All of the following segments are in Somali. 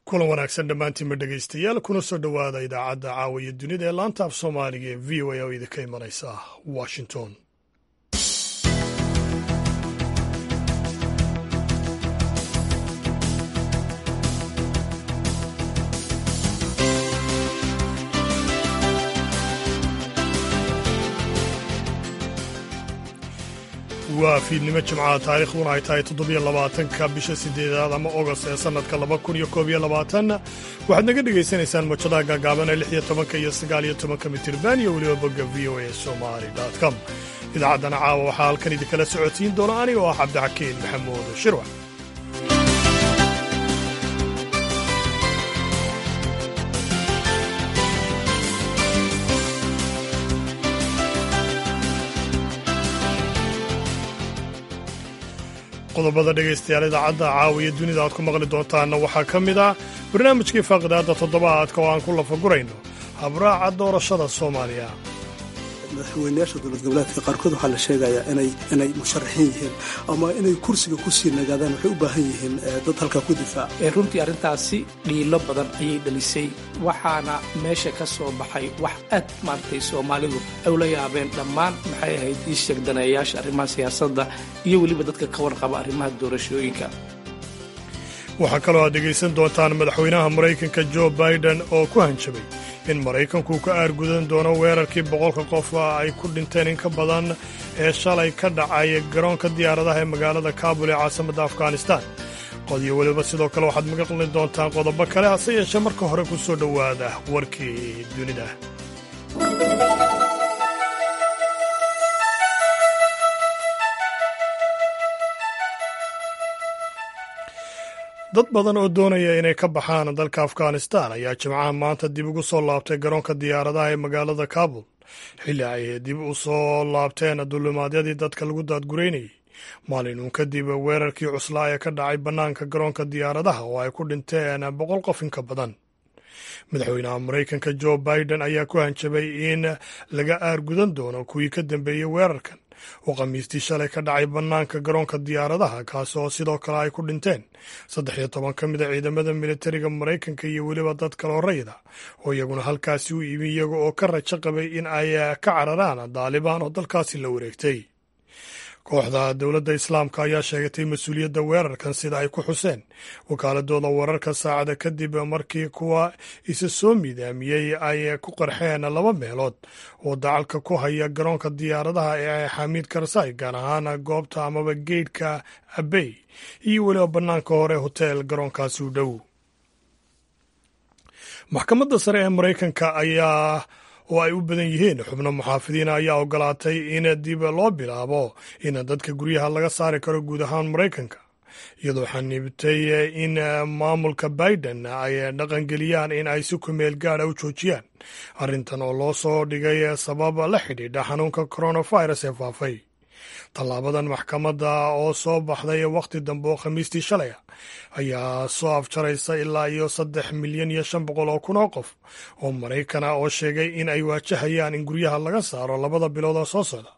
Kulan wanaagsan dhammaantiinma dhegaystayaal, kuna soo dhowaada idaacadda caawa iyo dunida ee laanta af Soomaaliga ee VOA oo idinka imanaysa Washington. Waa fiidnimo Jimcaha, taariikhduna ay tahay 27-ka bisha sideedaad ama Ogost ee sannadka 2021. Waxaad naga dhegaysanaysaan mojadaha gaagaaban ee 16-ka iyo 19-ka mitirban iyo weliba bogga VOA Somali com. Idaacaddana caawa waxaa halkan idinkala socodsiin doona aniga oo ah Cabdixakiin Maxamuud Shirwax. Qodobada dhegaystayaal idaacadda caawiya dunida aad ku maqli doontaanna waxaa ka mid ah barnaamijkii faaqidaadda toddobaadka oo aan ku lafagurayno habraaca doorashada Soomaaliya. Madaxweynayaasha dowlad goboleedka qaarkood waxaa la sheegayaa inay musharaxiin yihiin ama inay kursiga kusii nagaadaan. Waxay u baahan yihiin dad halkaa ku difaaca. Runtii arrintaasi dhiilo badan ayay dhalisay, waxaana meesha ka soo baxay wax aad maaragtay Soomaalidu ay ula yaabeen dhammaan, maxay ahayd ii sheeg, daneeyayaasha arrimaha siyaasadda iyo weliba dadka ka warqaba arrimaha doorashooyinka. Waxaa kaloo aad dhegaysan doontaan madaxweynaha Maraykanka Joe Biden oo ku hanjabay in Maraykanku ka aargudan doono weerarkii 100-ka qof ay ku dhinteen in ka badan ee shalay ka dhacay garoonka diyaaradaha ee magaalada Kaabul ee caasimadda Afghanistan. Qodiyo weliba sidoo kale waxaad maqli doontaan qodobo kale, hase yeeshee marka hore ku soo dhowaada warkii dunida. Dad badan oo doonaya inay ka baxaan dalka Afghanistan ayaa Jimcaha maanta dib ugu soo laabtay garoonka diyaaradaha ee magaalada Kaabul, xilli ay dib u soo laabteen dulimaadyadii dadka lagu daadgureynayay, maalin uun kadib weerarkii cuslaa ee ka dhacay bannaanka garoonka diyaaradaha oo ay ku dhinteen 100 qof in ka badan. Madaxweynaha Maraykanka Joe Biden ayaa ku hanjabay in laga aargudan doono kuwii ka dambeeyey weerarkan oo Khamiistii shalay ka dhacay bannaanka garoonka diyaaradaha, kaas oo sidoo kale ay ku dhinteen 13 ka mid a ciidamada militariga Maraykanka iyo weliba dad kaloo rayida oo iyaguna halkaasi u imi iyaga oo ka rajo qabay in ay ka cararaan Daalibaan oo dalkaasi la wareegtay. Kooxda Dowladda Islaamka ayaa sheegatay mas-uuliyadda weerarkan, sida ay ku xuseen wakaaladooda wararka, saacada kadib markii kuwa isa soo miidaamiyey ay ku qarxeen laba meelood oo dacalka ku haya garoonka diyaaradaha ee Xamiid Karsay, gaar ahaan goobta amaba geydhka Abey iyo weliba bannaanka hore hotel garoonkaasi u dhow. Maxkamadda sare ee Maraykanka ayaa oo ay u badan yihiin xubno muxaafidiina ayaa ogolaatay in dib loo bilaabo in dadka guryaha laga saari karo guud ahaan Maraykanka, iyadoo xaniibtay in maamulka Biden ay dhaqangeliyaan in ay si kumeel gaadha u joojiyaan arrintan oo loo soo dhigay sabab la xidhiidha xanuunka coronavirus ee faafay. Tallaabadan maxkamadda oo soo baxday wakhti dambe oo Khamiistii shalay ah ayaa soo afjaraysa ilaa iyo 3,500,000 oo qof oo Maraykan ah oo sheegay in ay waajahayaan in guryaha laga saaro labada bilood oo soo socda,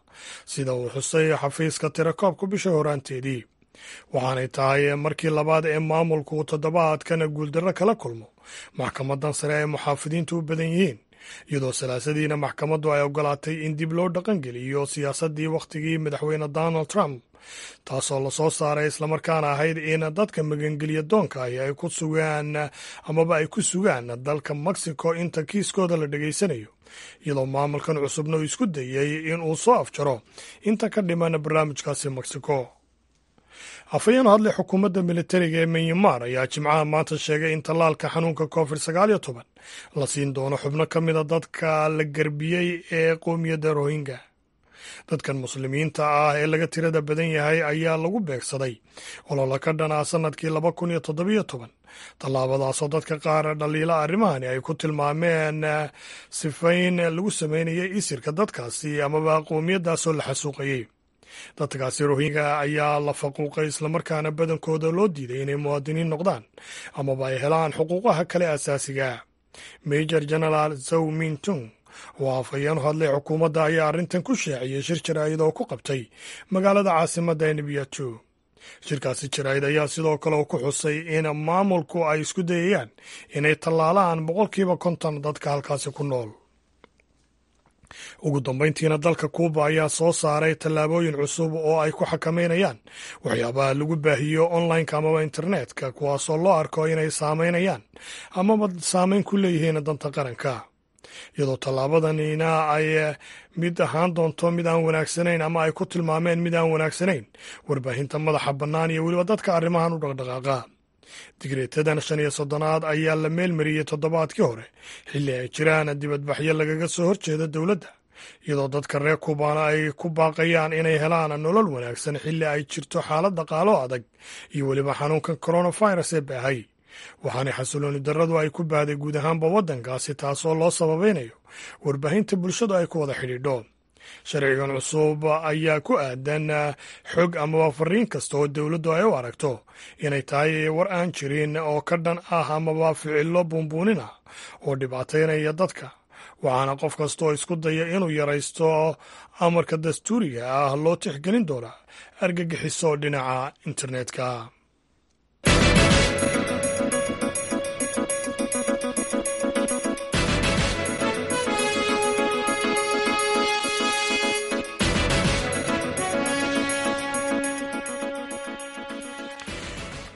sida uu xusay xafiiska tirakoobka bisha horaanteedii. Waxaanay tahay markii labaad ee maamulku toddobaadkan guuldarro kala kulmo maxkamaddan sare ee muxaafidiintu u badan yihiin, iyadoo salaasadiina maxkamaddu ay ogolaatay in dib loo dhaqangeliyo siyaasaddii wakhtigii madaxweyne Donald Trump, taasoo lasoo saaray islamarkaana ahayd in dadka magangeliya doonka ahi ay ku sugaan amaba ay ku sugaan dalka Mexico inta kiiskooda la dhegaysanayo, iyadoo maamulkan cusubna uu isku dayey in uu soo afjaro inta ka dhiman barnaamijkaasi Mexico. Afhayeen hadlay xukuumadda militariga ee Myanmar ayaa Jimcaha maanta sheegay in tallaalka xanuunka COVID-19 la siin doono xubno ka mida dadka la garbiyey ee qoomiyadda Rohingya. Dadkan muslimiinta ah ee laga tirada badan yahay ayaa lagu beegsaday ololo ka dhanaa sannadkii 2017, tallaabadaasoo dadka qaar dhaliila arrimahani ay ku tilmaameen sifayn lagu sameynayay isirka dadkaasi amaba qoomiyaddaasoo la xasuuqayey. Dadkaasi Rohingya ayaa la faquuqay, islamarkaana badankooda loo diiday inay muwaadiniin noqdaan amaba ay helaan xuquuqaha kale asaasiga. Major Generaal Zow Mintung oo afhayeen u hadlay xukuumadda ayaa arrintan ku shaaciyey shir jaraa'id oo ku qabtay magaalada caasimadda ee Nibyato. Shirkaasi jaraa'id ayaa sidoo kale ku xusay in maamulku ay isku dayayaan inay tallaalaan 50% dadka halkaasi ku nool. Ugu dambayntiina, dalka Kuuba ayaa soo saaray tallaabooyin cusub oo ay ku xakameynayaan waxyaabaha lagu baahiyo onlineka amaba internetka, kuwaasoo loo arko inay saameynayaan amaba saameyn ku leeyihiin danta qaranka, iyadoo tallaabadanina ay mid ahaan doonto mid aan wanaagsanayn ama ay ku tilmaameen mid aan wanaagsanayn warbaahinta madaxa bannaan iyo weliba dadka arrimahan u dhaqdhaqaaqa. Digreetadan 35aad ayaa la meelmariyey toddobaadkii hore, xilli ay jiraan dibadbaxyo lagaga soo horjeeda dowladda, iyadoo dadka reer Kubaana ay ku baaqayaan inay helaan nolol wanaagsan xilli ay jirto xaalad dhaqaalo adag iyo weliba xanuunkan coronavirus ee baahay. Waxaana xasilooni darradu ay ku baahday guud ahaanba waddankaasi, taasoo loo sababaynayo warbaahinta bulshadu ay ku wada xidhiidho. Sharcigan cusub ayaa ku aadan xog amaba fariin kasta oo dowladdu ay u aragto inay tahay war aan jirin oo ka dhan ah amaba ficillo buunbuunin ah oo dhibaataynaya dadka, waxaana qof kasta oo isku daya inuu yaraysto amarka dastuuriga ah loo tixgelin doonaa argagixiso dhinaca internetka.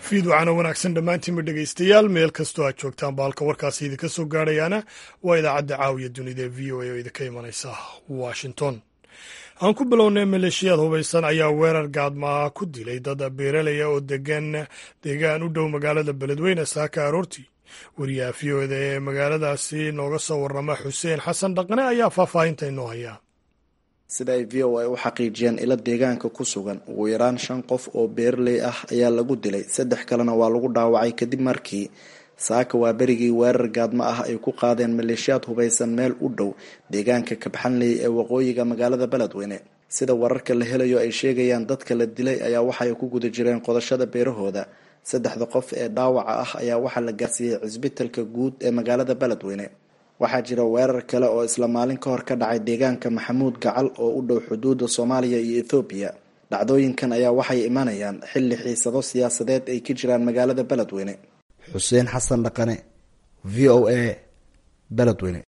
Fiid wacana wanaagsan dhammaantiinba dhegaystayaal, meel kastoo aad joogtaan baalka warkaasi idinka soo gaadhayaana waa idaacadda Caawiya Dunida ee VOA oo idinka imanaysa Washington. Aan ku bilownay, maleeshiyaad hubaysan ayaa weerar gaadmaa ku dilay dad beeralaya oo degan deegaan u dhow magaalada Beledweyne saaka aroortii. Wariyaha VOA-da ee magaaladaasi nooga soo warrama, Xuseen Xasan Dhaqane, ayaa faahfaahinta inoo haya. Sida ay VOA u xaqiijiyeen ilo deegaanka ku sugan, ugu yaraan shan qof oo beeraley ah ayaa lagu dilay, saddex kalena waa lagu dhaawacay, kadib markii saaka waa berigii weerar gaadmo ah ay ku qaadeen maleeshiyaad hubaysan meel u dhow deegaanka Kabxanley ee waqooyiga magaalada Beledweyne. Sida wararka la helayo ay sheegayaan, dadka la dilay ayaa waxay ku guda jireen qodashada beerahooda. Saddexda qof ee dhaawaca ah ayaa waxaa la gaarsiiyey cisbitalka guud ee magaalada Beledweyne. Waxaa jira weerar kale oo isla maalin ka hor ka dhacay deegaanka Maxamuud Gacal oo u dhow xuduudda Soomaaliya iyo Ethoobiya. Dhacdooyinkan ayaa waxay imanayaan xilli xiisado siyaasadeed ay ka jiraan magaalada Beledweyne. Xuseen Xasan Dhaqane, VOA, Beledweyne.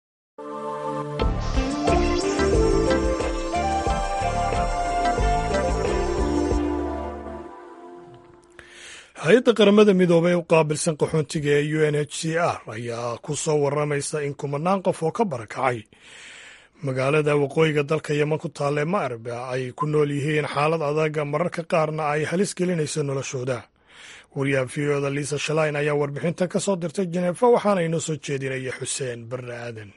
Hay-adda Qaramada Midoobay u qaabilsan qaxoontiga ee UNHCR ayaa ku soo waramaysa in kumanaan qof oo ka barakacay magaalada waqooyiga dalka Yeman ku taalle Ma'rib ay ku nool yihiin xaalad adag, mararka qaarna ay halis gelinayso noloshooda. Wariyaha VOA-da Lisa Schlein ayaa warbixintan ka soo dirtay Jeneefa, waxaana inoo soo jeedinaya Xuseen Barre Aadan.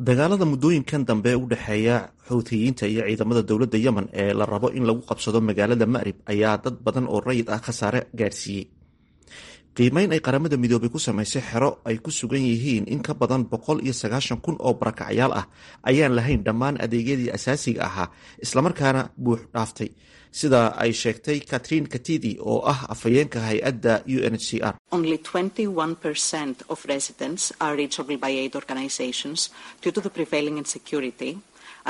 Dagaalada muddooyinkan dambe u dhexeeya Xuuthiyiinta iyo ciidamada dowladda Yemen ee la rabo in lagu qabsado magaalada Ma'rib ayaa dad badan oo rayid ah khasaare gaadhsiiyey. Qiimeyn ay Qaramada Midoobay ku samaysay xero ay ku sugan yihiin in ka badan 190,000 oo barakacyaal ah ayaan lahayn dhammaan adeegyadii asaasiga ahaa, islamarkaana buux dhaaftay, sida ay sheegtay Katrin Katidi oo ah afhayeenka hay-adda UNHCR. Only 21% of residents are reachable by aid organizations due to the prevailing insecurity,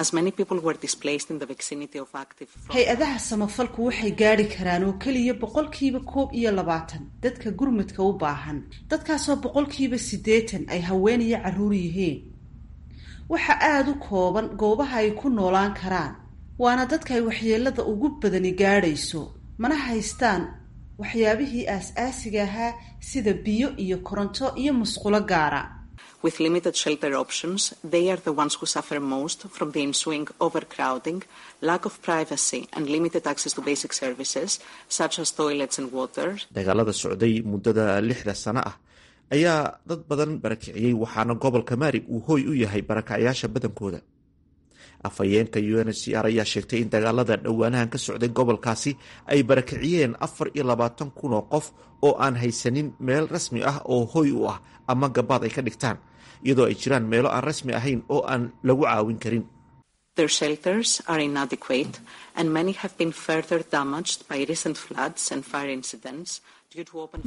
as many people were displaced in the vicinity of active front. Hay-adaha samafalku waxay gaadhi karaan oo keliya 21% dadka gurmudka u baahan, dadkaasoo 80% ay haween iyo carruur yihiin. Waxa aada u kooban goobaha ay ku noolaan karaan, waana dadka ay waxyeelada ugu badani gaadhayso, mana haystaan waxyaabihii aas-aasiga ahaa sida biyo iyo koronto iyo musqulo gaara. With limited shelter options, they are the ones who suffer most from the ensuing overcrowding, lack of privacy, and limited access to basic services such as toilets and water. Dagaalada socday muddada 6da sano ah ayaa dad badan barakiciyey, waxaana gobolka Maarib uu hooy u yahay barakacyaasha badankooda. Afhayeenka UNHCR ayaa sheegtay in dagaalada dhowaanahan ka socday gobolkaasi ay barakiciyeen 24,000 oo qof oo aan haysanin meel rasmi ah oo hoy u ah ama gabaad ay ka dhigtaan, iyadoo ay jiraan meelo aan rasmi ahayn oo aan lagu caawin karin. Their shelters are inadequate and many have been further damaged by recent floods and fire incidents.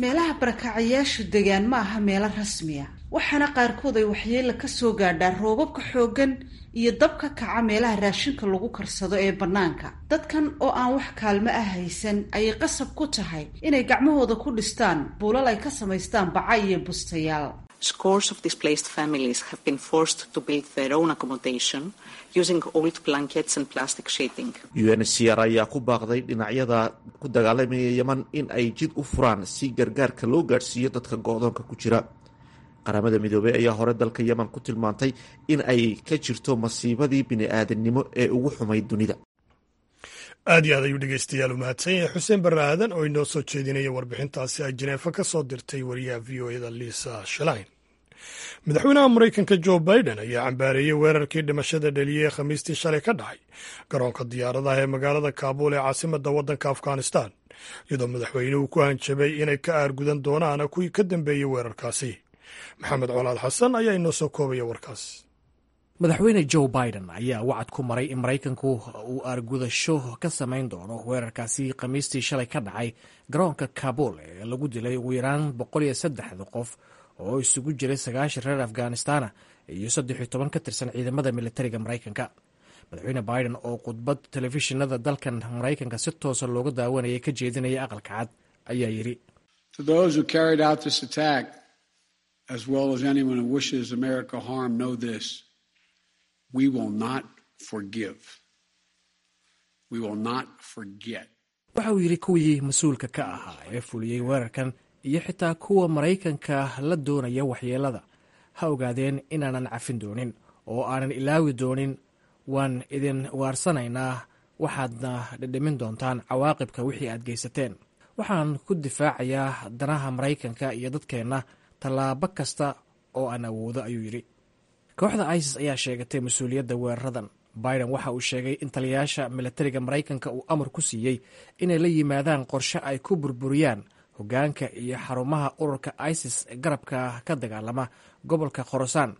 Meelaha barakacayaashu degaan ma aha meelo rasmiya, waxaana qaarkood ay waxyeela ka soo gaadhaa roobabka xooggan iyo dabka kaca meelaha raashinka lagu karsado ee bannaanka. Dadkan oo aan wax kaalmo ah haysan ayay qasab ku tahay inay gacmahooda ku dhistaan buulal ay ka samaystaan baca iyo bustayaal. Scores of displaced families have been forced to build their own accommodation using old blankets and plastic sheeting. UNHCR ayaa ku baaqday dhinacyada ku dagaalamaya Yemen in ay jid u furaan si gargaarka loo gaadhsiiyo dadka go-doonka ku jira. Qaramada Midoobey ayaa hore dalka Yemen ku tilmaantay in ay ka jirto masiibadii bini-aadamnimo ee ugu xumayd dunida. Aad iyo aad ayuu dhegeystayaal u mahadsan yahay Xuseen Barre Aadan oo inoo soo jeedinaya warbixintaasi ay Jineefa ka soo dirtay wariyaha VOA-da Lisa Shalain. Madaxweynaha Maraykanka Jo Biden ayaa cambaareeyey weerarkii dhimashada dhaliyey ee Khamiistii shalay ka dhacay garoonka diyaaradaha ee magaalada Kaabuul ee caasimadda waddanka Afghanistan, iyadoo madaxweynuhu ku hanjabay inay ka aargudan doonaan kuwii ka dambeeyey weerarkaasi. Maxamed Colaad Xasan ayaa inoo soo koobaya warkaas. Madaxweyne Joe Biden ayaa wacad ku maray in Maraykanku uu aargudasho ka samayn doono weerarkaasi Khamiistii shalay ka dhacay garoonka Kaabul ee lagu dilay ugu yaraan 103 qof oo isugu jiray 90 reer Afghanistana iyo 13 ka tirsan ciidamada militariga Maraykanka. Madaxweyne Biden oo khudbad telefishinada dalkan Maraykanka si toosa looga daawanayay ka jeedinaya Aqalka Cad ayaa yidhi: As well as anyone who wishes America harm, know this. We will not forgive. We will not forget. Waxa uu yidhi, kuwii mas-uulka ka ahaa ee fuliyey weerarkan iyo xitaa kuwa Maraykanka la doonaya waxyeelada ha ogaadeen inaanan cafin doonin oo aanan ilaawi doonin. Waan idin waarsanaynaa, waxaadna dhidhimin doontaan cawaaqibka wixii aad geysateen. Waxaan ku difaacayaa danaha Maraykanka iyo dadkeenna tallaabo kasta oo aan awoodo, ayuu yidhi. Kooxda ISIS ayaa sheegatay mas-uuliyadda weeraradan. Biden waxa uu sheegay in taliyayaasha militariga Maraykanka uu amar ku siiyey inay la yimaadaan qorshe ay ku burburiyaan hoggaanka iyo xarumaha ururka ISIS garabka ka dagaalama gobolka Khorasaan,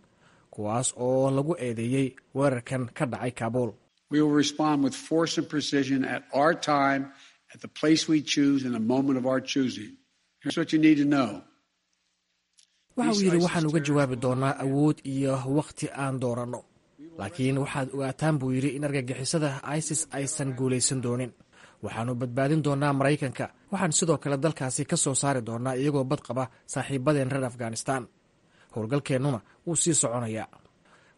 kuwaas oo lagu eedeeyey weerarkan ka dhacay Kaabul. We will respond with force and precision at our time, at the place we choose, in the moment of our choosing. Here's what you need to know. Waxa uu yidhi, waxaan uga jawaabi doonaa awood iyo wakhti aan dooranno, laakiin waxaad ogaataan, buu yidhi, in argagixisada ISIS aysan guulaysan doonin. Waxaannu badbaadin doonaa Maraykanka. Waxaan sidoo kale dalkaasi ka soo saari doonaa iyagoo badqaba saaxiibadeen reer Afghanistan. Howlgalkeennuna wuu sii soconayaa.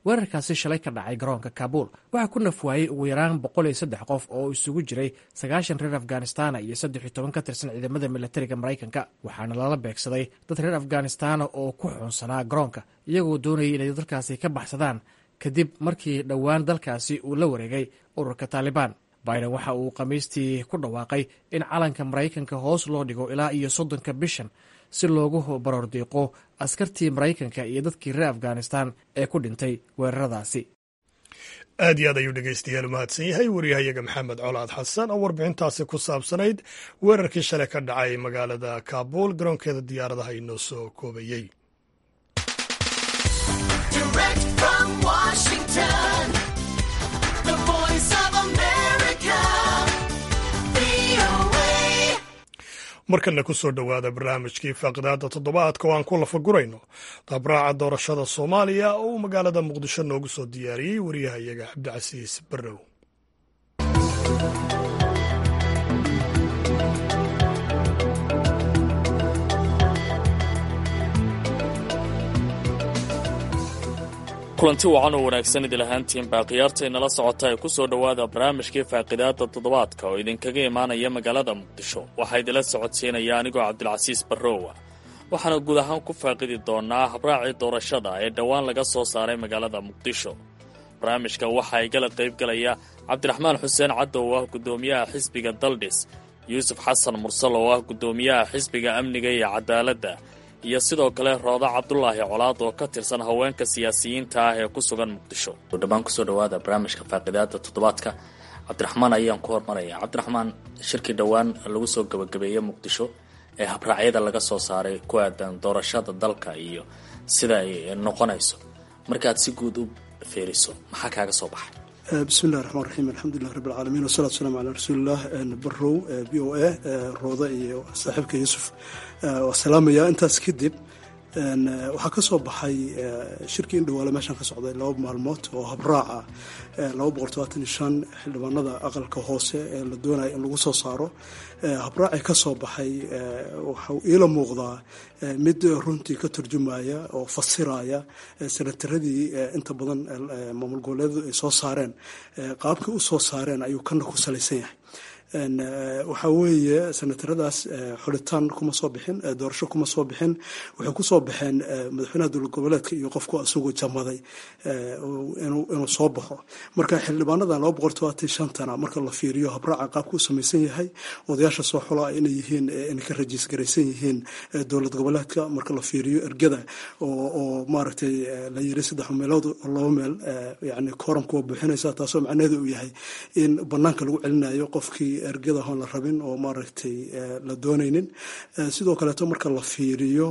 Weerarkaasi shalay ka dhacay garoonka Kaabul waxaa ku nafwaayey ugu yaraan 103 qof oo isugu jiray 90 reer Afghanistana iyo 13 ka tirsan ciidamada militariga Maraykanka, waxaana lala beegsaday dad reer Afghanistana oo ku xuunsanaa garoonka, iyagoo doonayay inay dalkaasi ka baxsadaan kadib markii dhowaan dalkaasi uu la wareegay ururka Taalibaan. Biden waxa uu Khamiistii ku dhawaaqay in calanka Maraykanka hoos loo dhigo ilaa iyo 30-ka bishan si loogu baroordiiqo askartii Maraykanka iyo dadkii reer Afghanistan ee ku dhintay weeraradaasi. Aad iyo aad ayuu dhegeystayaal u mahadsan yahay wariyahayaga Maxamed Colaad Xasan oo warbixintaasi ku saabsanayd weerarkii shalay ka dhacay magaalada Kaabuul garoonkeeda diyaaradaha inoo soo koobayey. Markana ku soo dhowaada barnaamijkii faaqidaada toddobaadka oo aan ku lafagurayno dabraaca doorashada Soomaaliya oo uu magaalada Muqdisho noogu soo diyaariyey wariyahayaga Cabdicasiis Barrow. Kulanti wacan oo wanaagsan idil ahaantiin baa khiyaartaynala socota ee ku soo dhowaada barnaamijkii faaqidaadda toddobaadka oo idinkaga imaanaya magaalada Muqdisho. Waxaa idinla socodsiinaya anigoo Cabdilcasiis Barrowa, waxaana guud ahaan ku faaqidi doonaa habraacii doorashada ee dhowaan laga soo saaray magaalada Muqdisho. Barnaamijka waxaa igala qaybgalaya Cabdiraxmaan Xuseen Caddow oo ah guddoomiyaha xisbiga Daldhis, Yuusuf Xasan Mursal oo ah guddoomiyaha xisbiga Amniga iyo Cadaaladda, iyo sidoo kale Rooda Cabdulaahi Colaad oo ka tirsan haweenka siyaasiyiinta ah ee ku sugan Muqdisho. Dhammaan kusoo dhawaada barnaamijka faaqidaada toddobaadka. Cabdiraxmaan ayaan ku hormaraya. Cabdiraxmaan, shirkii dhowaan lagu soo gabagabeeyey Muqdisho ee habraacyada laga soo saaray ku aadan doorashada dalka iyo sida ay noqonayso, markaad si guud u fiiriso, maxaa kaaga soo baxay? Bismillahi raxmaan raxiim, alxamdulilah rabbi alcaalamiin, wasalatu wasalaamu calaa rasuulillah. Barow, VOA, Rooda iyo saaxiibka Yuusuf waa salaamaya. Intaas kadib, waxaa ka soo baxay shirkii Indhawaale meeshan ka socday 2 maalmood oo habraaca 275 xildhibaanada aqalka hoose ee la doonaya in lagu soo saaro. Habraacii ka soo baxay waxau iila muuqdaa mid runtii ka turjumaya oo fasiraya senataradii inta badan maamul goboleedyadu ay soo saareen. Qaabkii u soo saareen ayuu kana ku salaysan yahay. Waxaa weeye, senataradaas xulitaan kuma soo bixin, doorasho kuma soo bixin. Waxay ku soo baxeen madaxweynaha dowlad goboleedka iyo qofku isagoo jamaday inuu soo baxo. Marka xildhibaanadan 275-tana marka la fiiriyo habraaca qaabka u samaysan yahay, odayaasha soo xula inay yihiin, inay ka rajiis garaysan yihiin dowlad goboleedka, marka la fiiriyo ergada oo maaragtay la yiri saddex meelood oo laba meel yani kooramka waa buuxinaysa, taasoo macnaheedu uu yahay in banaanka lagu celinayo qofkii ergada hoon la rabin oo maaragtay la doonaynin. Sidoo kaleeto, marka la fiiriyo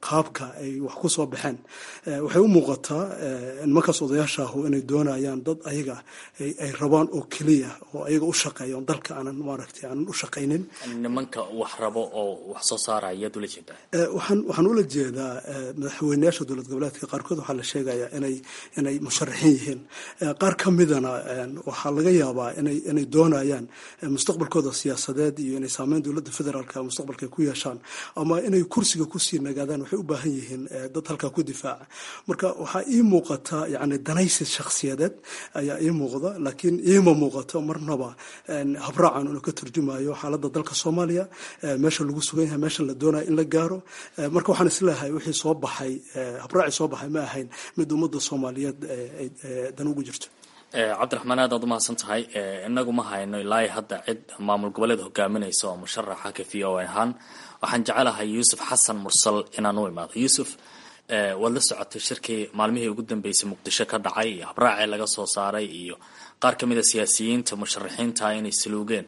qaabka ay wax ku soo baxeen, waxay u muuqataa nimankaas odayaasha ahu inay doonayaan dad ayaga ay rabaan oo keliya oo ayaga u shaqeeya oon dalka aanan maaragtay aanan u shaqaynin. Nimanka wax rabo oo wax soo saaraya ayaad ula jeedaa? Waxaan ula jeedaa madaxweyneyaasha dowlad goboleedka qaarkood waxaa la sheegayaa inay musharaxiin yihiin. Qaar ka midana waxaa laga yaabaa inay doonayaan mustaqbalkooda siyaasadeed iyo inay saameyn dowladda federaalka mustaqbalka ku yeeshaan ama inay kursiga kusii nagaadaan. Waxay u baahan yihiin dad halkaa ku difaaca. Marka waxaa ii muuqata yani danaysi shakhsiyadeed ayaa ii muuqda, laakiin iima muuqato marnaba habraacan inuu ka turjumayo xaaladda dalka Soomaaliya, meesha lagu sugan yahay, meesha la doonayo in la gaaro. Marka waxaan isleeyahay wixii soo baxay, habraacii soo baxay, ma ahayn mid ummadda Soomaaliyeed dan ugu jirto. Cabdiraxmaan, aad aad umahadsan tahay. Inagu ma hayno ilaa hadda cid maamul goboleed hogaaminaysa oo musharaxa ka VOA ahaan. Waxaan jecelahay Yuusuf Xasan Mursal inaan u imaado. Yuusuf, waad la socotay shirkii maalmihii ugu dambeysay Muqdisho ka dhacay iyo habraacii laga soo saaray iyo qaar ka mid a siyaasiyiinta musharaxiinta inay saluugeen.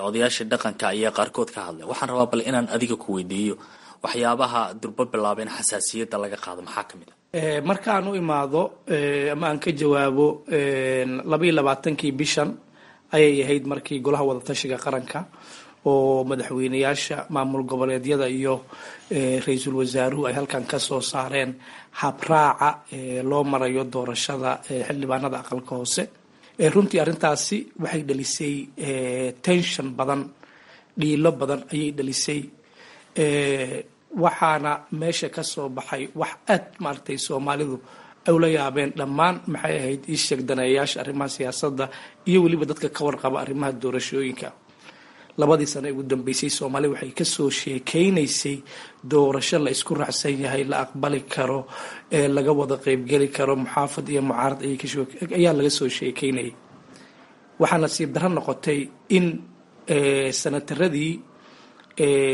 Odayaashii dhaqanka ayaa qaarkood ka hadlay. Waxaan rabaa bal inaan adiga ku weydiiyo, waxyaabaha durbo bilaaba in xasaasiyadda laga qaado maxaa ka mid a? Markaan u imaado ama aan ka jawaabo, 22-kii bishan ayay ahayd markii Golaha Wadatashiga Qaranka oo madaxweyneyaasha maamul goboleedyada iyo ra-iisul wasaaruhu ay halkan ka soo saareen habraaca loo marayo doorashada xildhibaanada aqalka hoose. Runtii arrintaasi waxay dhalisay tension badan, dhiilo badan ayay dhalisay. Waxaana meesha ka soo baxay wax aad maaragtay Soomaalidu ay ula yaabeen, dhammaan maxay ahayd ii sheeg daneeyayaasha arrimaha siyaasadda iyo weliba dadka ka warqaba arrimaha doorashooyinka. 2dii sano ee ugu dambeysay Soomaaliya waxay kasoo sheekeynaysay doorasho la isku raacsan yahay, la aqbali karo, ee laga wada qeybgeli karo, muxaafad iyo mucaarad ayaa laga soo sheekeynayay. Waxaa nasiib darro noqotay in sanataradii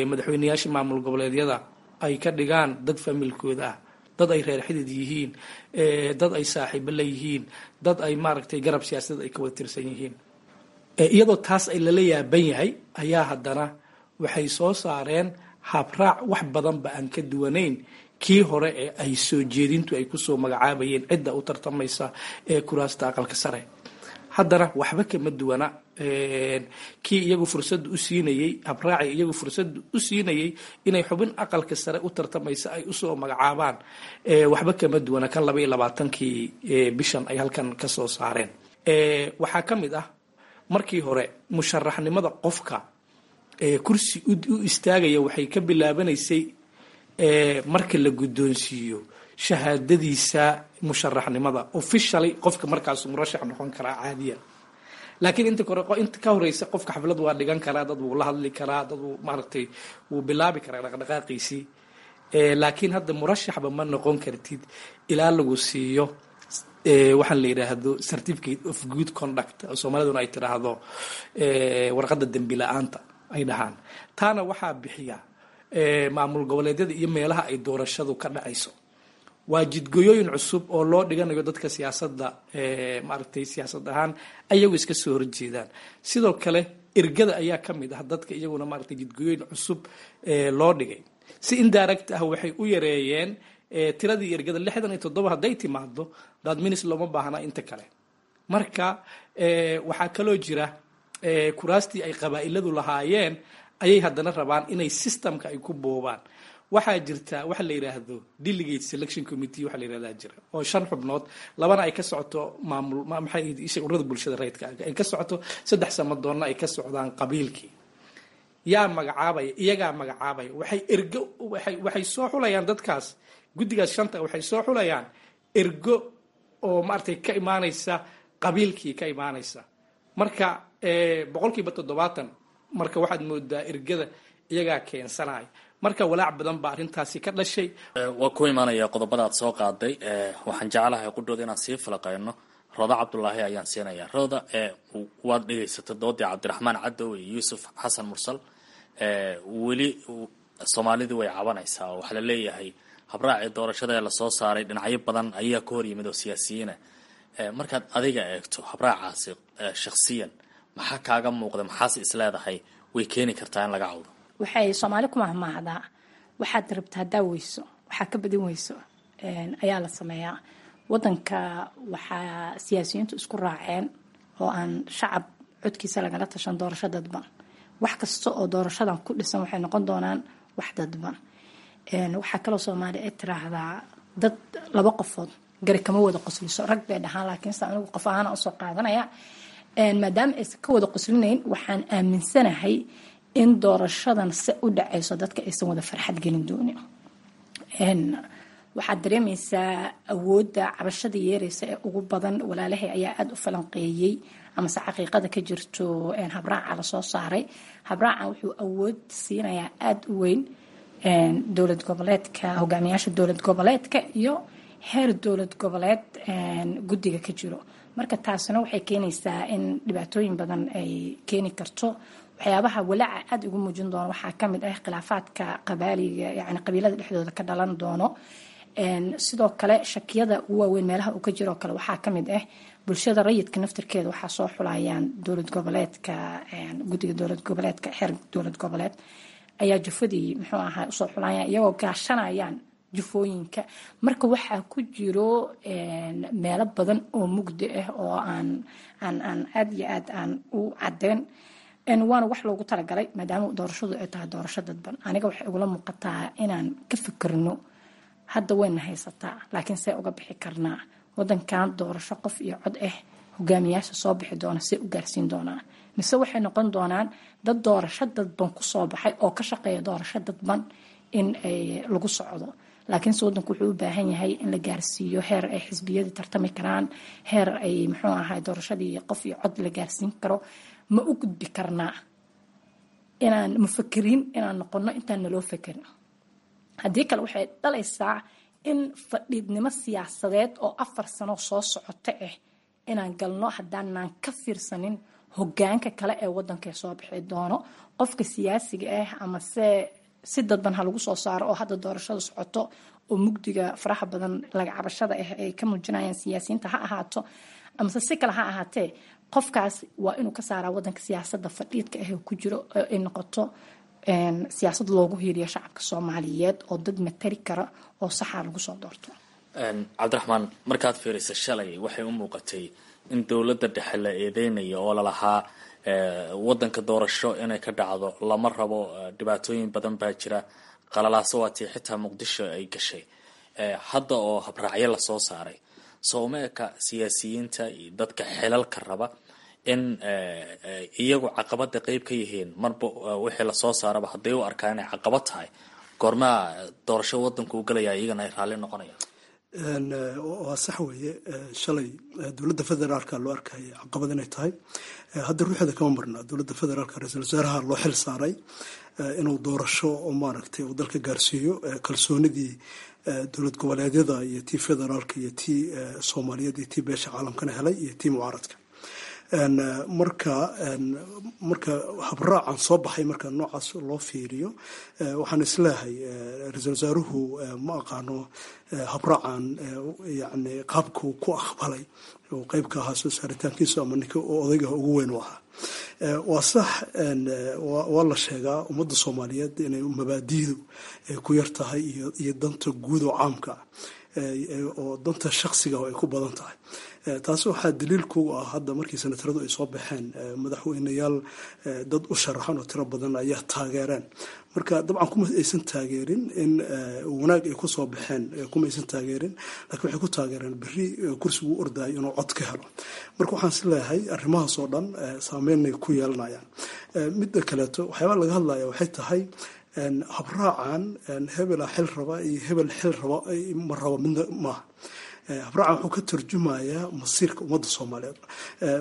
madaxweyneyaasha maamul goboleedyada ay ka dhigaan dad familkooda ah, dad ay reer xidid yihiin, dad ay saaxiibo la yihiin, dad ay maaragtay garab siyaasadeed ay ka wada tirsan yihiin. Iyadoo taas ay lala yaaban yahay ayaa haddana waxay soo saareen habraac wax badanba aan ka duwanayn kii hore ee ay soo jeedintu ay kusoo magacaabayeen cidda u tartamaysa ee kuraasta aqalka sare. Haddana waxba kama duwana kii iyagu fursadda u siinayey, habraaci iyagu fursadda u siinayey inay xubin aqalka sare u tartamaysa ay usoo magacaabaan. Waxba kama duwana kan 22-kii bishan ay halkan ka soo saareen. Waxaa ka mid ah, markii hore musharaxnimada qofka kursi u istaagaya waxay ka bilaabanaysay marka la guddoonsiiyo shahaadadiisa musharaxnimada officially, qofka markaasu murashax noqon karaa caadiyan. Laakiin inta kore, inta ka horeysa, qofka xaflad waa dhigan karaa, dad wuu la hadli karaa, dad wuu maaragtay wuu bilaabi karaa dhaqdhaqaaqiisii. Laakiin hadda murashaxba ma noqon kartid ilaa lagu siiyo waxaan la yidhaahdo certificate of good conduct, oo Soomaaliduna ay tidhaahdo warqadda dembi la-aanta ay dhahaan. Taana waxaa bixiya maamul goboleedyada iyo meelaha ay doorashadu ka dhacayso. Waa jidgoyooyin cusub oo loo dhiganayo dadka siyaasadda maaragtay siyaasad ahaan ayagu iska soo horjeedaan. Sidoo kale ergada ayaa ka mid ah dadka iyaguna maaragtay jidgoyooyin cusub loo dhigay. Si indirect ah waxay u yareeyeen tiradii ergada. 67 hadday timaado, that means looma baahna inta kale. Marka waxaa kaloo jira kuraastii ay qabaa'iladu lahaayeen ayay haddana rabaan inay systemka ay ku boobaan. Waxaa jirta waxa la yidhaahdo delegate selection committee waxa la yidhahdaa jira, oo 5 xubnood, labana ay ka socoto maamul, maxay isha, ururada bulshada rayidka ay ka socoto, 3 samadoonna ay ka socdaan qabiilkii. Yaa magacaabaya? Iyagaa magacaabaya. Waxay ergo waxay soo xulayaan dadkaas, guddigaas shanta waxay soo xulayaan ergo oo maaragtay ka imaanaysa qabiilkii ka imaanaysa. Marka 70%, marka waxaad moodaa ergada iyagaa keensanaya. Marka walaac badan baa arrintaasi ka dhashay. Waa ku imaanaya qodobada aad soo qaaday. Waxaan jeclahay qudhooda inaan sii falaqeyno. Rooda Cabdulaahi ayaan siinaya. Rooda, waad dhegaysatay doodii Cabdiraxmaan Cadow iyo Yuusuf Xasan Mursal. Weli Soomaalidu way cabanaysaa oo waxaa la leeyahay habraacii doorashada ee lasoo saaray dhinacyo badan ayaa ka hor yimid oo siyaasiyiina. Markaad adiga eegto habraacaasi shakhsiyan, maxaa kaaga muuqda? Maxaase isleedahay way keeni kartaa in laga cawdo? Waxay Soomaali ku mahmaahdaa, waxaad rabta haddaa weyso, waxaa ka badin weyso ayaa la sameeyaa. Wadanka waxaa siyaasiyiintu isku raaceen oo aan shacab codkiisa lagala tashan doorasho dadban. Wax kasta oo doorashadan ku dhisan waxay noqon doonaan wax dadban. Waxaa kaloo Soomaali ay tiraahdaa, dad laba qofood gari kama wada qosliso. Rag bay dhahaan, laakiinse anigu qof ahaan usoo qaadanaya, maadaama aysan ka wada qoslinayn, waxaan aaminsanahay in doorashadan se u dhacayso dadka aysan wada farxad gelin doonin. Waxaad dareemaysaa awoodda cabashada yeeraysa ee ugu badan. Walaalahay ayaa aada u falanqeeyey amase xaqiiqada ka jirto habraaca lasoo saaray. Habraacan wuxuu awood siinayaa aada u weyn dowlad goboleedka, hogaamiyaasha dowlad goboleedka iyo heer dowlad goboleed guddiga ka jiro. Marka taasina waxay keenaysaa in dhibaatooyin badan ay keeni karto. Waxyaabaha walaaca aada ugu muujin doono waxaa kamid ah khilaafaadka qabaaliga, yani qabiilada dhexdooda ka dhalan doono. Sidoo kale shakiyada ugu waaweyn meelaha uu ka jiroo kale waxaa kamid ah bulshada rayidka naftirkeeda. Waxaa soo xulayaan dowlad goboleedka, guddiga dowlad goboleedka, xeer dowlad goboleed ayaa jufadii muxuu ahaa usoo xulayaan, iyagoo gaashanayaan jufooyinka. Marka waxaa ku jiro meelo badan oo mugdi ah oo aan aan aan aada iyo aad aan u cadeen, waana wax loogu talagalay maadaama doorashadu ay tahay doorasho dadban. Aniga waxay igula muuqataa inaan ka fikirno hadda wayna haysataa, laakiin see uga bixi karnaa wadankan doorasho qof iyo cod ah? Hogaamiyaasha soo bixi doona see u gaarsiin doonaan, mise waxay noqon doonaan dad doorasho dadban kusoo baxay oo ka shaqeeya doorasho dadban in ay lagu socdo? Laakiinse wadanku wuxuu u baahan yahay in la gaarsiiyo heer ay xisbiyadii tartami karaan, heer ay muxuu ahay doorashadii qof iyo cod la gaarsiin karo. Ma u gudbi karnaa inaan mufakiriin inaan noqono intaan naloo fekerin? Haddii kale waxay dhalaysaa in fadhiidnimo siyaasadeed oo 4 sano soo socota ah inaan galno, haddaanaan ka fiirsanin hogaanka kale ee wadanka soo bixi doono. Qofka siyaasiga ah ama se si dadban ha lagu soo saaro oo hadda doorashada socoto oo mugdiga faraha badan laga cabashada ah ay ka muujinayaan siyaasiyiinta ha ahaato, amase si kale ha ahaatee, qofkaas waa inuu ka saaraa wadanka siyaasadda fadhiidka ah ku jiro, ay noqoto siyaasad loogu hiiriyo shacabka Soomaaliyeed oo dad matari kara oo saxaa lagu soo doorto. Cabdiraxmaan, markaad fiirisa shalay waxay u muuqatay in dowladda dhexe la eedeynayo oo lalahaa wadanka doorasho inay ka dhacdo lama rabo, dhibaatooyin badan baa jira, qalalaaso waatii xitaa Muqdisho ay gashay. Hadda oo habraacyo lasoo saaray, sooma eka siyaasiyiinta iyo dadka xilalka raba in iyagu caqabada qeyb ka yihiin? Marba wixii lasoo saaraba hadday u arkaan inay caqabad tahay, goormaa doorasho wadanku u galaya iyagana ay raalli noqonayaan? Waa sax weeye, shalay dowladda federaalka loo arkaya caqabad inay tahay. Hadda ruuxeeda kama marna dowladda federaalka. Ra-iisul wasaaraha loo xil saaray inuu doorasho oo maaragtay uu dalka gaarsiiyo. Kalsoonidii dowlad goboleedyada iyo tii federaalka iyo tii Soomaaliyeed iyo tii beesha caalamkana helay iyo tii mucaaradka. Marka habraacan soo baxay, marka noocaas loo fiiriyo, waxaan isleehay ra-iisul wasaaruhu ma aqaano habraacan, yani qaabkuu ku aqbalay uu qeyb ka ahaa soo saaritaankiisu ama ninka odayga ugu weyn u ahaa. Waa sax, waa la sheegaa ummadda Soomaaliyeed inay mabaadiidu ay ku yar tahay iyo danta guud oo caamka ah. oo danta shaksiga ay ku badan tahay. Taasi waxaa daliil kugu ah hadda markii senataradu ay soo baxeen, madaxweyneyaal dad u sharaxan oo tiro badan ayaa taageereen. Marka dabcan kuma aysan taageerin in wanaag ay kusoo baxeen, kuma aysan taageerin, laakiin waxay ku taageereen berri kursigu u ordayo inuu cod ka helo. Marka waxaan is leeyahay arrimahaas oo dhan saameynay ku yeelanayaan. Midda kaleeto, waxyaabaa laga hadlaya waxay tahay habraacan hebela xil raba iyo hebel xil raba ma raba midna maaha. Habraacan wuxuu ka turjumayaa masiirka ummadda Soomaaliyeed.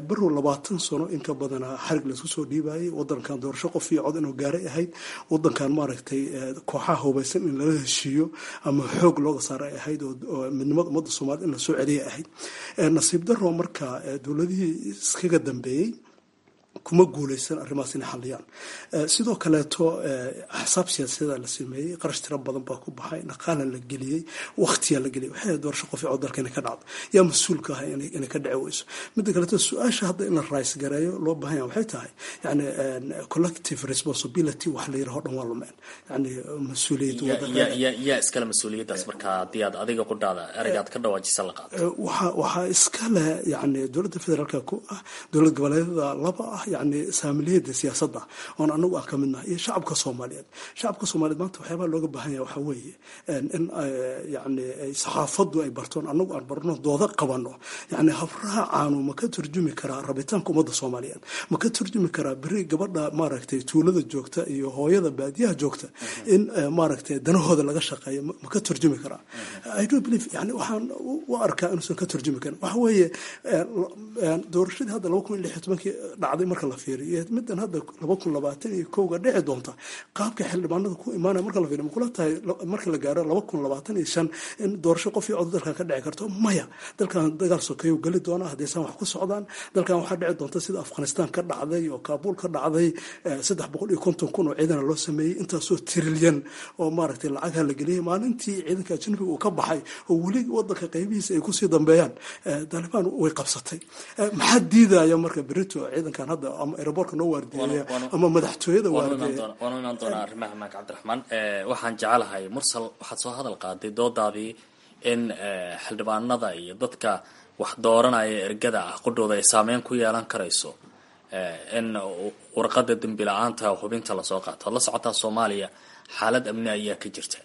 Barow 20 sano in ka badana xarig laysku soo dhiibayay wadankan, doorasho qof iyo cod inuu gaaray ahayd wadankan, maaragtay, kooxaha hubaysan in lala heshiiyo ama xoog looga saara ay ahayd, oo midnimada ummadda Soomaaliyed in lasoo celiyay ahayd. Nasiib daro marka dowladihii iskaga dambeeyey kuma guuleysan arrimahaas inay xaliyaan. Sidoo kaleeto axsaab siyaasadeeda la sameeyey, qarash tiro badan baa ku baxay, dhaqaala la geliyey, waqtiyaa la geliyey. Waxay doorasho qof cod dalka inay ka dhacdo, yaa mas-uulka ah inay ka dhici weyso? Midda kaleeto, su-aasha hadda in la rays gareeyo loo baahan yahay waxay tahay, yani, collective responsibility wax la yiraho dhan waa lumeen, yani mas-uuliyad. Yaa iskale mas-uuliyaddaas marka haddii aad adiga qudhaada ereygaad ka dhawaajisa la qaato? Waxaa iskale, yani, dowladda federaalka ku ah, dowlad goboleedyada laba ah, yani saamiliyada siyaasadda oon anagu aan ka midnahay, iyo shacabka Soomaaliyeed. Shacabka Soomaaliyeed maanta waxyaabaha looga baahan yahay waxaa weeye in, yani, saxaafaddu ay bartoon, anagu aan barno, dooda qabano. Yani habraacaanu ma ka turjumi karaa rabitaanka ummadda Soomaaliyeed? Ma ka turjumi karaa beri gabadha, maaragtay, tuulada joogta iyo hooyada baadiyaha joogta in, maaragtay, danahooda laga shaqeeyo? Ma ka turjumi karaa? I do believe, yani, waxaan u arkaa inuusan ka turjumi karin. Waxa weeye doorashadii hadda 2016-kii dhacday marka la fiiriyo, middan hadda 2021-ga dhici doonta, qaabka xildhibaanada ku imaanaya marka la fiiriyo, makula tahay marka la gaaro 2025 in doorasho qof iyo cod dalkan ka dhici karto? Maya. Dalkan dagaal sokeeyo geli doona haddaysan wax ku socdaan. Dalkan waxaa dhici doonta sida Afghanistan ka dhacday oo Kaabuul ka dhacday, 350,000 oo ciidana loo sameeyey, intaasoo trilyan oo, maaragtay, lacagha la geliyey. Maalintii ciidanka ajnabiga uu ka baxay oo weli wadanka qaybihiisa ay kusii dambeeyaan, Taalibaan way qabsatay. Maxaa diidaya marka berito ciidankan hadda ama aeroboortka noo waardiyeeya ama madaxtooyada waardiyeeya? Waanu imaan doonaa arrimaha ammaanka. Cabdiraxmaan, waxaan jecelahay Mursal, waxaad soo hadal qaaday doodaadii in xildhibaanada iyo dadka wax dooranaya ergada ah qudhooda ay saameyn ku yeelan karayso in warqada dembi la-aanta hubinta lasoo qaato. Ad la socotaa Soomaaliya xaalad amni ayaa ka jirta.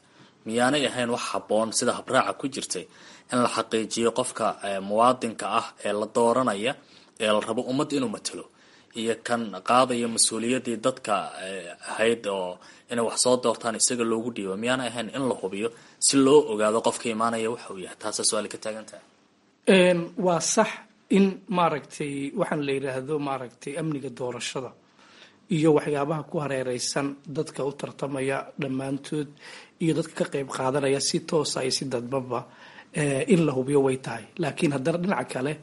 Miyaanay ahayn wax habboon sida habraaca ku jirtay in la xaqiijiyo qofka muwaadinka ah ee la dooranaya ee la rabo ummad inuu matalo iyo kan qaadaya mas-uuliyaddii dadka ahayd oo inay wax soo doortaan isaga loogu dhiibo? Miyaanay ahayn in la hubiyo si loo ogaado qofka imaanaya waxa uu yahay? Taasaa su-aali ka taagan tahay. Waa sax in, maaragtay, waxaan la yidhaahdo, maaragtay, amniga doorashada iyo waxyaabaha ku hareereysan dadka u tartamaya dhammaantood iyo dadka ka qeyb qaadanaya si toosa iyo si dadbaba in la hubiyo way tahay. Laakiin haddana dhinaca kale,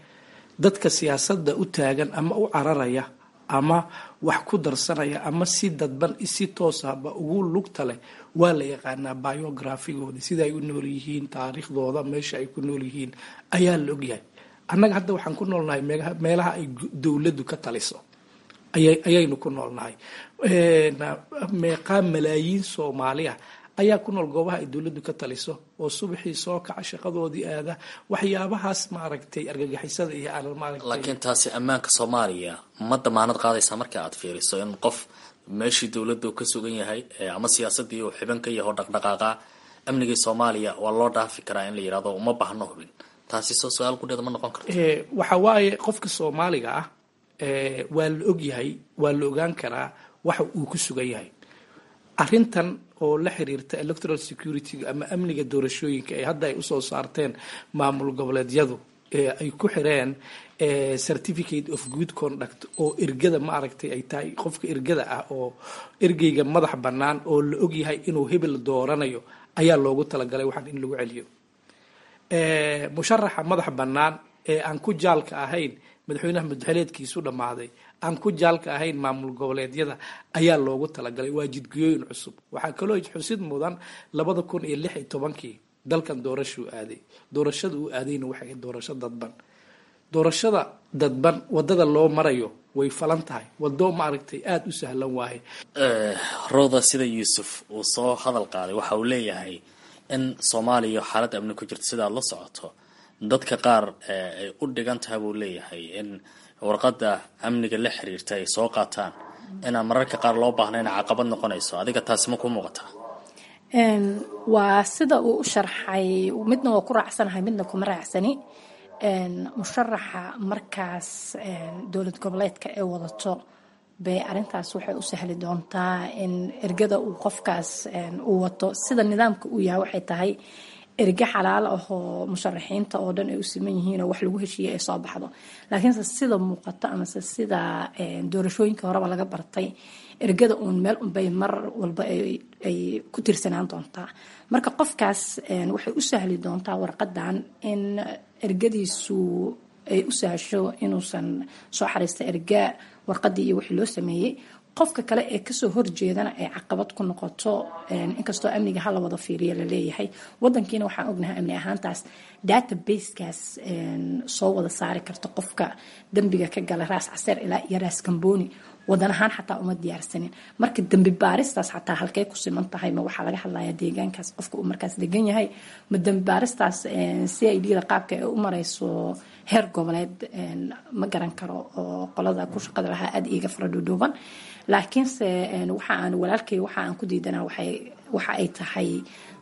dadka siyaasadda u taagan ama u cararaya ama wax ku darsanaya ama si dadban si toosaba ugu lugta leh waa la yaqaanaa biographigooda, sida ay u nool yihiin, taariikhdooda, meesha ay ku nool yihiin ayaa la ogyahay. Annaga hadda waxaan ku noolnahay meelaha ay dowladdu ka taliso ayaynu ku noolnahay. Meeqaa malaayiin Soomaali ah ayaa ku nool goobaha ay dowladdu ka taliso oo subaxii soo kaca, shaqadoodii aada, waxyaabahaas, maaragtay, argagixisada iyo aan, maaragtay? Laakiin taasi ammaanka Soomaaliya ma damaanad qaadaysaa marka aad fiiriso in qof meeshii dowladdu ka sugan yahay ama siyaasadii uu xiban ka yaho dhaqdhaqaaqa amnigii Soomaaliya waa loo dhaafi karaa in la yidhahdo uma baahno hubin? Taasi soo su-aal qudheeda ma noqon karto? Waxa waaye qofka Soomaaliga ah waa la ogyahay, waa la ogaan karaa waxa uu ku sugan yahay. Arrintan oo la xiriirta electoral security ama amniga doorashooyinka ee hadda ay usoo saarteen maamul goboleedyadu ee ay ku xireen certificate of good conduct oo ergada, maaragtay, ay tahay qofka ergada ah oo ergeyga madax bannaan oo la ogyahay inuu hebel dooranayo ayaa loogu talagalay waxaan in lagu celiyo. Musharaxa madax bannaan ee aan ku jaalka ahayn madaxweynaha mudxeleedkiisu dhammaaday, aan ku jaalka ahayn maamul goboleedyada ayaa loogu talagalay. Waa jidgiyooyin cusub. Waxaa kaloo xusid mudan 2016-kii dalkan doorashuu aaday. Doorashada uu aadayna waxay ahayd doorasho dadban. Doorashada dadban wadada loo marayo way falan tahay, wado, maaragtay, aada u sahlan waaye. Rooda, sida Yuusuf uu soo hadal qaaday, waxa uu leeyahay In Soomaaliya xaalad amni ku jirta sidaad la socoto, dadka qaar ay u dhigan tahay buu leeyahay in warqadda amniga la xiriirta ay soo qaataan, inaan mararka qaar loo baahnayn caqabad noqonayso. Adiga taasi ma ku muuqataa? Waa sida uu u sharxay, midna waa ku raacsanahay, midna kuma raacsani. Musharaxa markaas dowlad goboleedka ee wadato bay arintaas waxay u sahli doontaa in ergada uu qofkaas uu wato. Sida nidaamka uu yahay waxay tahay erge xalaal ahoo musharaxiinta oo dhan ay u siman yihiin oo wax lagu heshiiyey ay soo baxdo. Laakiinse sida muuqato amase sida doorashooyinka horeba laga bartay, ergada uun meel unbay mar walba ay ku tiirsanaan doontaa. Marka qofkaas waxay u sahli doontaa warqadan in ergadiisu ay u sahasho inuusan soo xariista erga warqadii iyo wixii loo sameeyey. Qofka kale ee kasoo horjeedana ay caqabad ku noqoto, inkastoo amniga hala wada fiiriya laleeyahay. Wadankiina waxaan ognahay amni ahaantaas databasekaas soo wada saari karta qofka dembiga ka gala Raas Caseer ilaa iyo Raas Gambooni, wadan ahaan xataa uma diyaarsanin. Marka dembi baaristaas xataa halkay ku siman tahay? Ma waxaa laga hadlayaa deegaankaas qofka uu markaas degan yahay? Ma dembi baaristaas CID da qaabka ay u marayso heer goboleed ma garan karo, oo qolada ku shaqada lahaa aada iiga fara dhuudhuuban. Laakiinse waxa aan walaalkay waxa aan ku diidanaa waxa ay tahay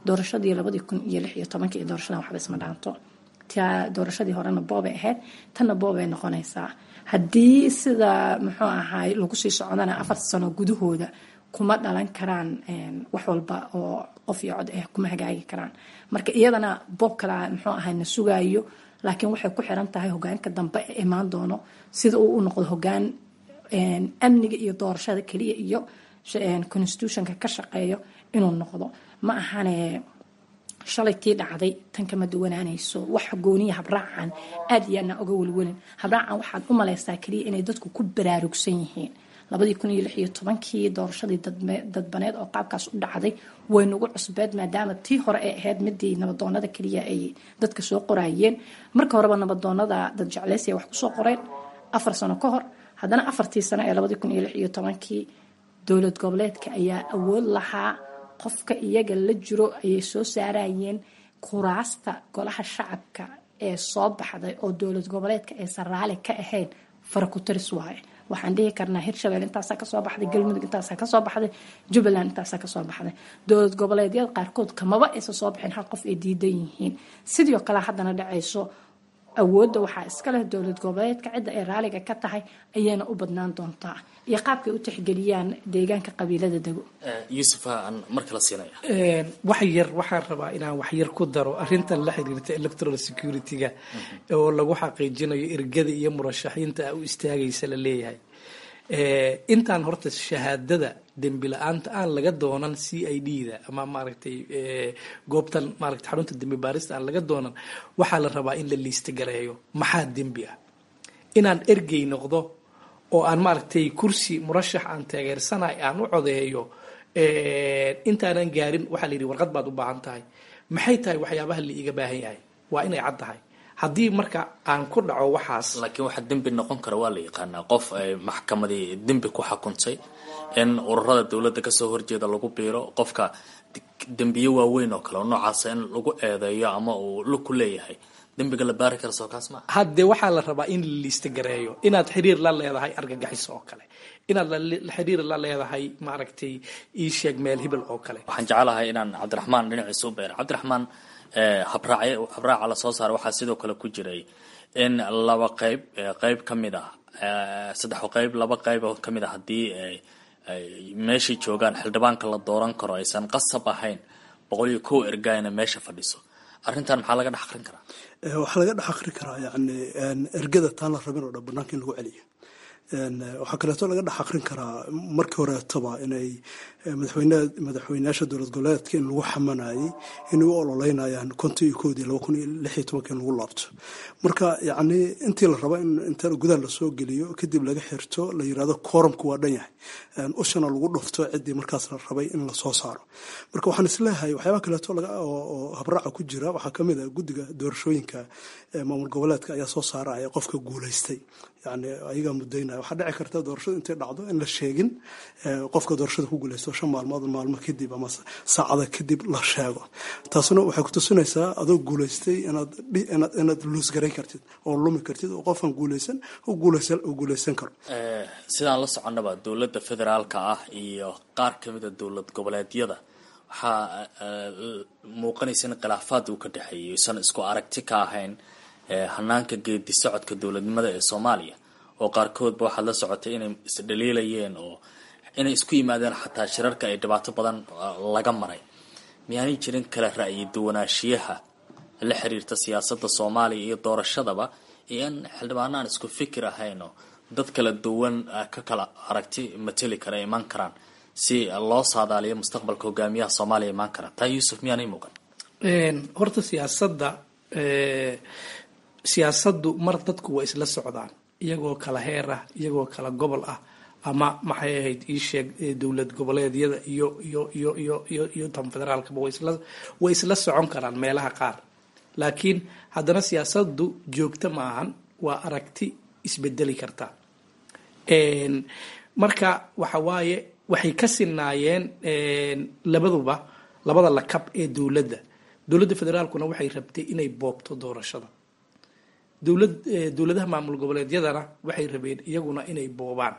doorashadii 2016-ka iyo doorashadan waxba isma dhaanto. Taa doorashadii horena boobay ahayd, tanna boobay noqonaysaa. Haddii sida muxuu ahaay lagu sii socdana, 4 sano gudahooda kuma dhalan karaan wax walba oo qof iyo cod ah, kuma hagaagi karaan. Marka iyadana boob kala muxuu ahay na sugaayo, laakiin waxay ku xiran tahay hogaanka dambe ee imaan doono sida uu u noqdo hogaan amniga iyo doorashada keliya iyo constitutionka ka shaqeeyo inuu noqdo. Ma ahane shalay tii dhacday tan kama duwanaanayso. Wax gooniya habraacan aad iyo aadna oga welwelin. Habraacan waxaad u malaysaa keliya inay dadku ku baraarugsan yihiin. 2016-kii doorashadii dadbaneed oo qaabkaas u dhacday way nagu cusbeed, maadaama tii hore ay ahayd midii nabadoonada keliya ay dadka soo qoraayeen. Marka horeba nabadoonada dad jeclaysiya wax kusoo qoreen 4 sano ka hor. Haddana 4-tii sano ee 2016-kii dowlad goboleedka ayaa awood lahaa, qofka iyaga la jiro ayay soo saarayeen. Kuraasta golaha shacabka ee soo baxday oo dowlad goboleedka aysan raali ka ahayn farakutaris waaye. Waxaan dhihi karnaa Hirshabelle intaasaa kasoo baxday, Galmudug intaasaa kasoo baxday, Jubbaland intaasaa kasoo baxday. Dowlad goboleedyada qaarkood kamaba aysan soo bixin hal qof ay diidan yihiin. Sidoo kale haddana dhacayso, awoodda waxaa iska leh dowlad goboleedka. Cidda ay raaliga ka tahay ayayna u badnaan doontaa iyo qaabkay u tixgeliyaan deegaanka qabiilada dego. Yuusuf aan mar kala siinaya. Wax yar waxaan rabaa inaan wax yar ku daro arrintan la xiriirta electoral security-ga oo lagu xaqiijinayo ergada iyo murashaxiinta u istaagaysa la leeyahay. Intaan horta shahaadada dembi la-aanta aan laga doonan CID da ama maaragtay goobtan maaragtay xarunta dembi baarista aan laga doonan, waxaa la rabaa in la liista gareeyo maxaa dembi ah. Inaan ergey noqdo oo aan maaragtay kursi murashax aan taageersanahay aan u codeeyo, intaanan gaarin waxaa la yidhi warqad baad u baahan tahay. Maxay tahay waxyaabaha la iiga baahan yahay? Waa inay cad tahay. Haddii marka aan ku dhaco waxaas Laakiin waxa dembi noqon kara waa la yaqaanaa. Qof ay maxkamadii dembi ku xukuntay, in ururada dowladda kasoo horjeeda lagu biiro, qofka dembiyo waaweyn oo kale oo noocaasa in lagu eedeeyo ama uu lug ku leeyahay dembiga la baari kara, soo kaas ma Haddee waxaa la rabaa in la liista gareeyo inaad xiriir la leedahay argagaxiso oo kale, inaad xiriir la leedahay maaragtay ii sheeg meel hebel oo kale. Waxaan jecelahay inaan Cabdiraxmaan dhinaciisa u beero. Cabdiraxmaan, habraaca lasoo saaray waxaa sidoo kale ku jiray in laba qayb, qayb ka mid ah saddex qayb, laba qayb oo ka mid ah haddii ay meeshay joogaan xildhibaanka la dooran karo, aysan qasab ahayn 101 ergaayna meesha fadhiso. Arrintan maxaa laga dhex aqrin karaa? Waxaa laga dhex aqri karaa yani ergada taan la rabin oo dhan banaanka in lagu celiyo. Waxaa kaleeto laga dhex aqrin karaa markii horeetaba inay madaxweyneyaasha dowlad goboleedka in lagu xamanayay inay u ololeynayaan 51-dii 2016-ka in lagu laabto. Marka yacni intii la raba in inta gudaha lasoo geliyo kadib laga xirto, la yirahdo quorumku waa dhan yahay, ushana lagu dhufto ciddii markaas la rabay in lasoo saaro. Marka waxaan isleeyahay waxyaabaha kaleeto oo habraaca ku jira waxaa kamid ah guddiga doorashooyinka maamul goboleedka ayaa soo saaraya qofka guulaystay. Yani ayagaa mudaynaya. Waxaa dhici karta doorashadu intay dhacdo in la sheegin qofka doorashada ku guuleysto 5 maalmood, maalmo kadib ama saacada kadib la sheego. Taasuna waxay kutusinaysaa adoo guuleystay inaad luusgarayn kartid oo lumi kartid oo qofkan guuleysan u guuleysan karo. Sidaan la soconnaba, dowladda federaalka ah iyo qaar kamida dowlad goboleedyada waxaa muuqanaysa in khilaafaad uu ka dhexeeyay, isan isku aragti ka ahayn hanaanka geedi socodka dowladnimada ee Soomaaliya, oo qaarkoodba waxaad la socotay inay isdhaliilayeen oo inay isku yimaadeen xataa shirarka ay dhibaato badan laga maray. Miyaanay jirin kala ra'yi duwanaanshiyaha la xiriirta siyaasadda Soomaaliya iyo doorashadaba, iyo in xildhibaano aan isku fikir ahayn oo dad kala duwan ka kala aragti mateli kara iman karaan si loo saadaaliyo mustaqbalka hogaamiyaha Soomaaliya imaan kara? Taa, Yuusuf, miyaanay muuqan? Horta siyaasaddu mar dadku waa isla socdaan iyagoo kala heer ah, iyagoo kala gobol ah, ama maxay ahayd ii sheeg, dowlad goboleedyada iyo iyo iyo iyo iyo iyo tan federaalkaba way isla socon karaan meelaha qaar. Laakiin haddana siyaasaddu joogto ma ahan, waa aragti isbedeli karta. Marka waxa waaye, waxay ka sinaayeen labaduba, labada lakab ee dowladda. Dowladda federaalkuna waxay rabtay inay boobto doorashada. Dowladaha maamul goboleedyadana waxay rabeen iyaguna inay boobaan.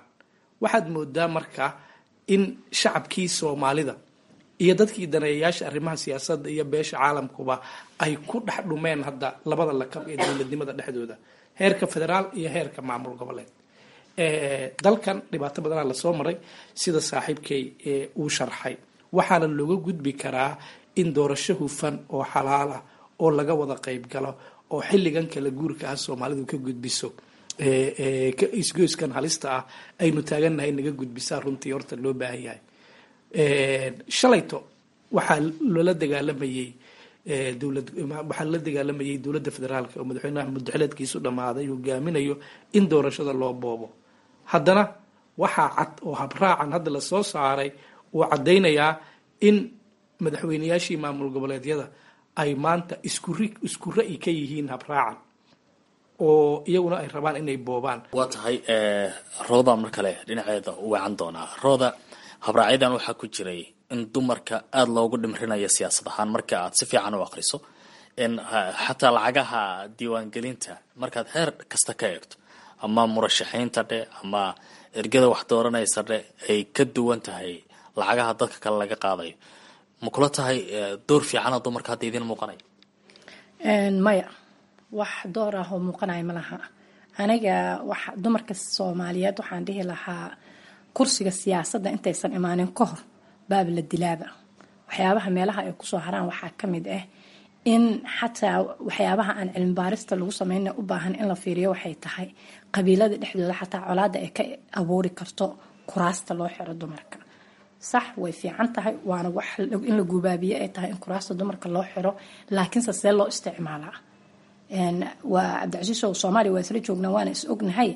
Waxaad moodaa marka in shacabkii Soomaalida iyo dadkii daneeyayaasha arrimaha siyaasadda iyo beesha caalamkuba ay ku dhex dhumeen hadda labada lakab ee dowladnimada dhexdooda, heerka federaal iyo heerka maamul goboleed. Dalkan dhibaato badanaa lasoo maray, sida saaxiibkay uu sharxay. Waxaana looga gudbi karaa in doorasho hufan oo xalaal ah oo laga wada qayb galo oo xilligan kala guurka ah Soomaalidu ka gudbiso isgoyskan halista ah aynu taagannahay, naga gudbisaa runtii horta loo baahan yahay. Shalayto waxaa loola dagaalamayey dowlad, waxaa lala dagaalamayay dowladda federaalka oo madaxweynaha muddaxileedkiisu dhammaaday hogaaminayo in doorashada loo boobo. Haddana waxaa cad oo habraacan hadda lasoo saaray uu caddaynayaa in madaxweyneyaashii maamul goboleedyada ay maanta isku ra'yi ka yihiin habraacan oo iyaguna ay rabaan inay boobaan. Waa tahay. Rooda mar kale dhinaceeda u weecan doonaa. Rooda, habraacyadan waxaa ku jiray in dumarka aada loogu dhimrinayo siyaasad ahaan. Marka aad si fiican u aqriso, in xataa lacagaha diiwaangelinta markaad heer kasta ka eegto, ama murashaxiinta dhe ama ergada wax dooranaysa dhe, ay ka duwan tahay lacagaha dadka kale laga qaadayo. Ma kula tahay door fiicana dumarka hadda idiin muuqanaya? Maya, wax door ah oo muuqanaya ma laha. Aniga wax dumarka Soomaaliyeed waxaan dhihi lahaa, kursiga siyaasadda intaysan imaanin ka hor baab la dilaaba. Waxyaabaha meelaha ay kusoo haraan waxaa ka mid ah in xataa waxyaabaha aan cilmi baarista lagu sameyna u baahan in la fiiriyo waxay tahay qabiilada dhexdooda xataa colaada ay ka abuuri karto kuraasta loo xiro dumarka. Sax, way fiican tahay, waana wax in la gubaabiye ay tahay in kuraasta dumarka loo xiro, laakiinse see loo isticmaalaa? Waa Cabdicasiis oo Soomaaliya waa isla joognaa, waana is ognahay.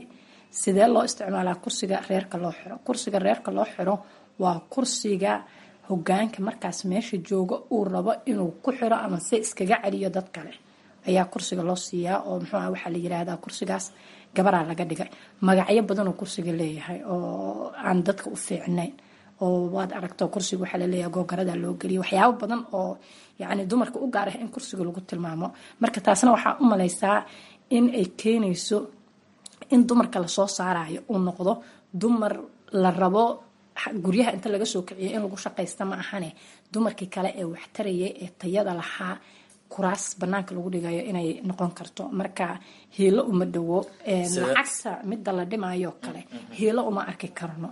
Sidee loo isticmaalaa kursiga reerka loo xiro? Kursiga reerka loo xiro waa kursiga hogaanka markaas meesha jooga uu rabo inuu ku xiro ama se iskaga celiyo dad kale ayaa kursiga loo siiyaa, oo muxuu ah, waxaa la yiraahdaa kursigaas gabaraa laga dhigay. Magacyo badanoo kursiga leeyahay oo aan dadka u fiicnayn oo waad aragto, kursiga waxaa laleeyahay googarada loo geliyo, waxyaabo badan oo yacni dumarka u gaar ah in kursiga lagu tilmaamo. Marka taasna waxaa u malaysaa in ay keenayso in dumarka lasoo saarayo uu noqdo dumar la rabo guryaha inta laga soo kiciyo in lagu shaqaysta ma ahane, dumarkii kale ee waxtarayay ee tayada lahaa kuraas banaanka lagu dhigayo inay noqon karto. Marka hiilo uma dhowo lacagta midda la dhimayo kale, hiilo uma arki karno.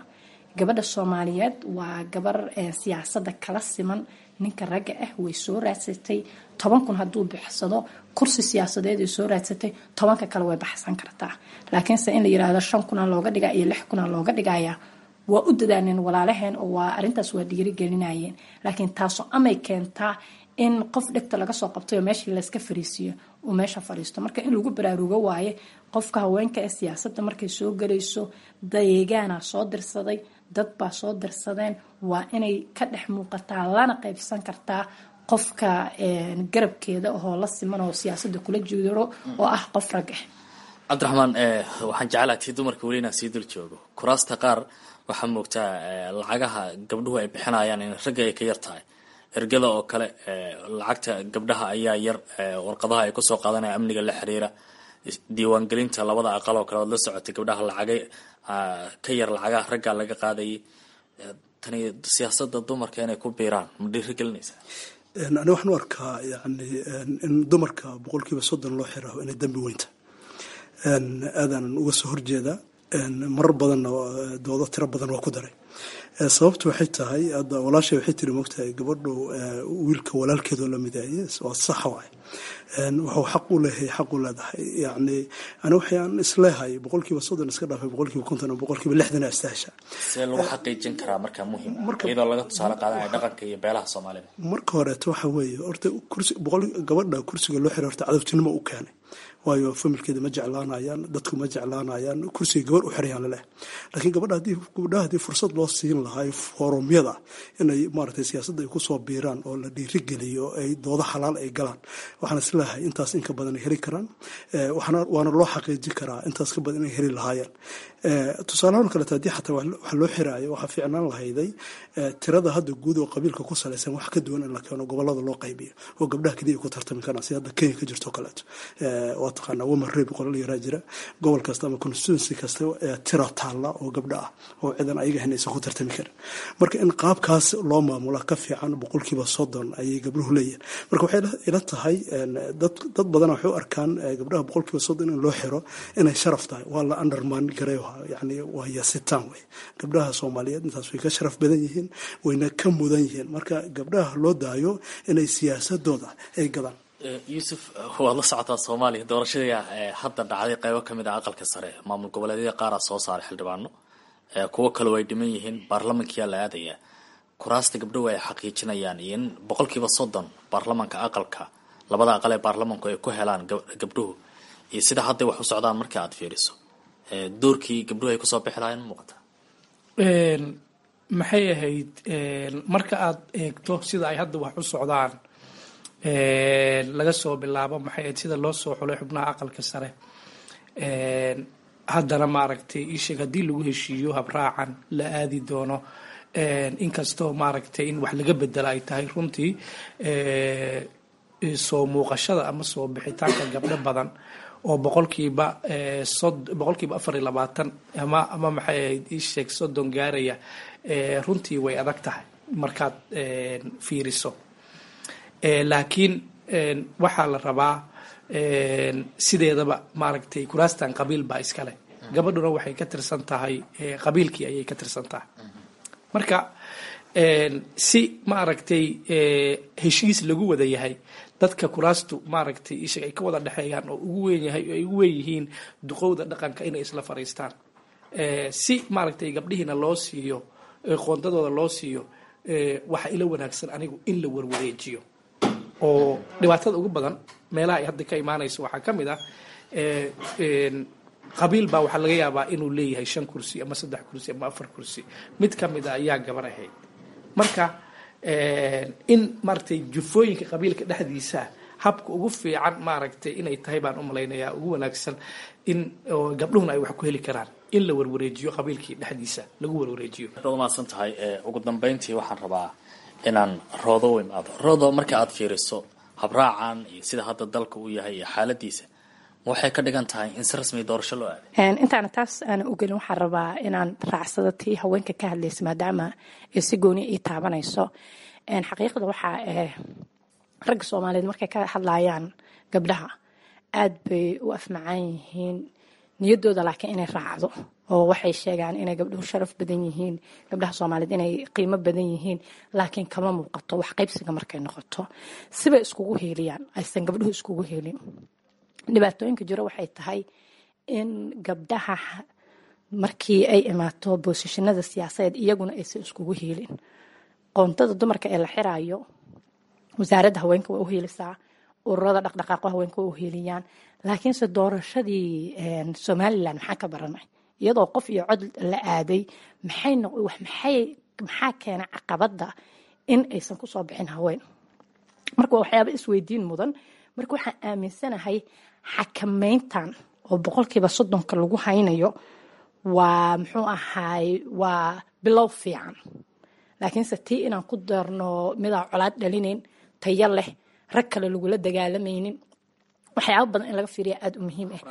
Gabadha Soomaaliyeed waa gabar siyaasadda kala siman ninka ragga ah. Way soo raadsatay 10,000 hadduu baxsado kursi siyaasadeed ay soo raadsatay, 10-ka kale way baxsan kartaa. Laakiinse in la yiraahdo 5,000 looga dhigaa iyo 6,000 looga dhigaya, waa u dadaaleen walaalaheen oo waa arrintaas waa dhiirigelinayeen, laakiin taasoo amay keentaa in qof dhegta laga soo qabtay oo meeshii layska fariisiiyo uu meesha fariisto. Marka in lagu baraarugo waaye qofka haweenka ee siyaasadda markay soo galayso, deegaanaa soo dirsaday, dad baa soo dirsadeen, waa inay ka dhex muuqataa lana qaybsan kartaa qofka garabkeeda oo la siman oo siyaasadda kula jiro oo ah qof rag ah. Cabdiraxmaan, waxaan jeclaha tii dumarka weli inaan sii dul joogo. Kuraasta qaar waxaa moogtaa lacagaha gabdhuhu ay bixinayaan in ragga ay ka yar tahay. Ergada oo kale lacagta gabdhaha ayaa yar, warqadaha ay kusoo qaadanaya amniga la xiriira, diiwaangelinta labada aqal oo kale oad la socotay, gabdhaha lacagay ka yar lacagaha raggaa laga qaadayay. Tani siyaasadda dumarka inay ku biiraan ma dhiirigelinaysaa? Ani waxaan u arkaa yani in dumarka 30% loo xiraho inay dambi weynta, aadaanan uga soo horjeedaa. Marar badanna doodo tiro badan waa ku daray. Sababtu waxay tahay, hadda walaashay waxay tiri, moogtahay, gabadhu wiilka walaalkeedoo la mideeye waa sax waay, wuxuu xaq u leeyahay, xaq u leedahay. Yacni ani waxaan isleehay 30% iska dhaafay, 50% ama 60% astahasha. See lagu xaqiijin karaa markaa muhiim ah, iyadoo laga tusaale qaadanaya dhaqanka iyo beelaha Soomaalida? Marka horeeto waxa weeye, horta kursi boqol gabadha kursiga loo xiray horta cadowtinimo u keenay, waayo familkeeda ma jeclaanayaan, dadku ma jeclaanayaan kursiga gabar u xirayaan laleh. Laakiin gabadha haddii gabdhaha haddii fursad loo siin lahaa foorumyada inay maaragtay siyaasadda ay kusoo biiraan oo la dhiirigeliyo, ay doodo xalaal ay galaan, waxaan isleeyahay intaas inka badan ay heli karaan, waxaana waana loo xaqiijin karaa intaas ka badan inay heli lahaayeen. Tusaalahaan kaleeto, haddii xataa wax loo xiraayo, waxaa fiicnaan lahayday tirada hadda guud oo qabiilka ku salaysan wax ka duwan in la keeno, gobolada loo qaybiyo oo gabdhaha keliya ay ku tartami karaan, sida hadda Kenya ka jirto kaleeto. Waa taqaanaa, woman rep qolal yaraa jira, gobol kasta ama constituency kasta tira taalla oo gabdha ah oo ciidan ayaga ahayn aysan ku tartami karin. Marka in qaabkaas loo maamula ka fiican 30% ayay gabdhuhu leeyihin. Marka waxay ila tahay dad badan waxay u arkaan gabdhaha 30% in loo xiro inay sharaf tahay. Waa la undermine gareeyo, yani waa yasitaan wey. Gabdhaha Soomaaliyeed intaas way ka sharaf badan yihiin, wayna ka mudan yihiin. Marka gabdhaha loo daayo inay siyaasadooda ay gadaan. Yuusuf, waad la socotaa Soomaaliya doorashadii hadda dhacday qeybo kamid ah aqalka sare, maamul goboleedyada qaaraa soo saaray xildhibaano, kuwo kale way dhiman yihiin, baarlamankiyaa la aadayaa. Kuraasta gabdhuhu ay xaqiijinayaan iyo in 30% baarlamanka aqalka, labada aqal ee baarlamanku ay ku helaan gabdhuhu, iyo sida hadday wax u socdaan marka aad fiiriso, doorkii gabdhuhu ay kusoo bixi lahayn ma muuqataa? Maxay ahayd, marka aad eegto sida ay hadda wax u socdaan, laga soo bilaabo maxay ahayd sida loo soo xulay xubnaha aqalka sare, haddana maaragtay isheeg haddii lagu heshiiyo habraacan la aadi doono, inkastoo maaragtay in wax laga bedela ay tahay runtii, soo muuqashada ama soo bixitaanka gabdho badan oo 24% ama maxay ahayd isheeg 30 gaaraya, runtii way adag tahay markaad fiiriso. Laakiin waxaa la rabaa sideedaba maaragtay kuraastan qabiil baa iskale, gabadhuna waxay ka tirsan tahay qabiilkii ayay ka tirsan tahay. Marka si maaragtay heshiis lagu wada yahay, dadka kuraastu maaragtay ishag ay ka wada dhexeeyaan oo ugu weyn yahay ay ugu weyn yihiin duqowda dhaqanka, inay isla fariistaan si maaragtay gabdhihiina loo siiyo, qoondadooda loo siiyo. Waxa ila wanaagsan anigu in la warwareejiyo, oo dhibaatada ugu badan meelaha ay hadda ka imaanayso waxaa ka mid ah qabiil baa waxaa laga yaabaa inuu leeyahay shan kursi ama saddex kursi ama afar kursi, mid ka mid a ayaa gabar ahayd. Marka in maaragtay jufooyinka qabiilka dhexdiisa habka ugu fiican maaragtay inay tahay baan u malaynayaa ugu wanaagsan in gabdhuhuna ay wax ku heli karaan in la warwareejiyo, qabiilkii dhexdiisa lagu warwareejiyo. Aad umahadsan tahay. Ugu dambeyntii waxaan rabaa inaan Roodo u imaado. Roodo, marka aad fiiriso habraacan iyo sida hadda dalka uu yahay iyo xaaladiisa, waxay ka dhigan tahay in si rasmi doorasho loo aaday? Intaana taas aanan u gelin, waxaan rabaa inaan raacsado tii haweenka ka hadlaysa, maadaama ay si gooni ii taabanayso. Xaqiiqda waxaa ragga Soomaaliyeed markay ka hadlayaan gabdhaha aad bay u afmacaan yihiin niyaddooda, laakiin inay raacdo oo waxay sheegaan inay gabdhuhu sharaf badan yihiin, gabdhaha Soomaaliyeed inay qiimo badan yihiin, laakiin kama muuqato wax qaybsiga markay noqoto. Sibay iskugu heeliyaan aysan gabdhuhu iskugu heelin. Dhibaatooyinka jiro waxay tahay in gabdhaha markii ay imaato boosishinada siyaasadeed iyaguna aysan iskugu heelin. Qoontada dumarka ee la xiraayo, wasaaradda haweenka waa u heelisaa, ururada dhaqdhaqaaqo haweenka waa u heeliyaan, laakiinse doorashadii Somalilan maxaa ka baranay? Iyadoo qof iyo cod la aaday, maxaa keena caqabadda in aysan kusoo bixin haween? Marka waa waxyaaba isweydiin mudan. Marka waxaan aaminsanahay xakameyntan oo 30% lagu haynayo waa muxuu ahaay waa bilow fiican, laakiinse tii inaan ku darno midaan colaad dhalinayn, tayo leh, rag kale lagula dagaalamaynin, waxyaaba badan in laga fiiriya aada u muhiim ah.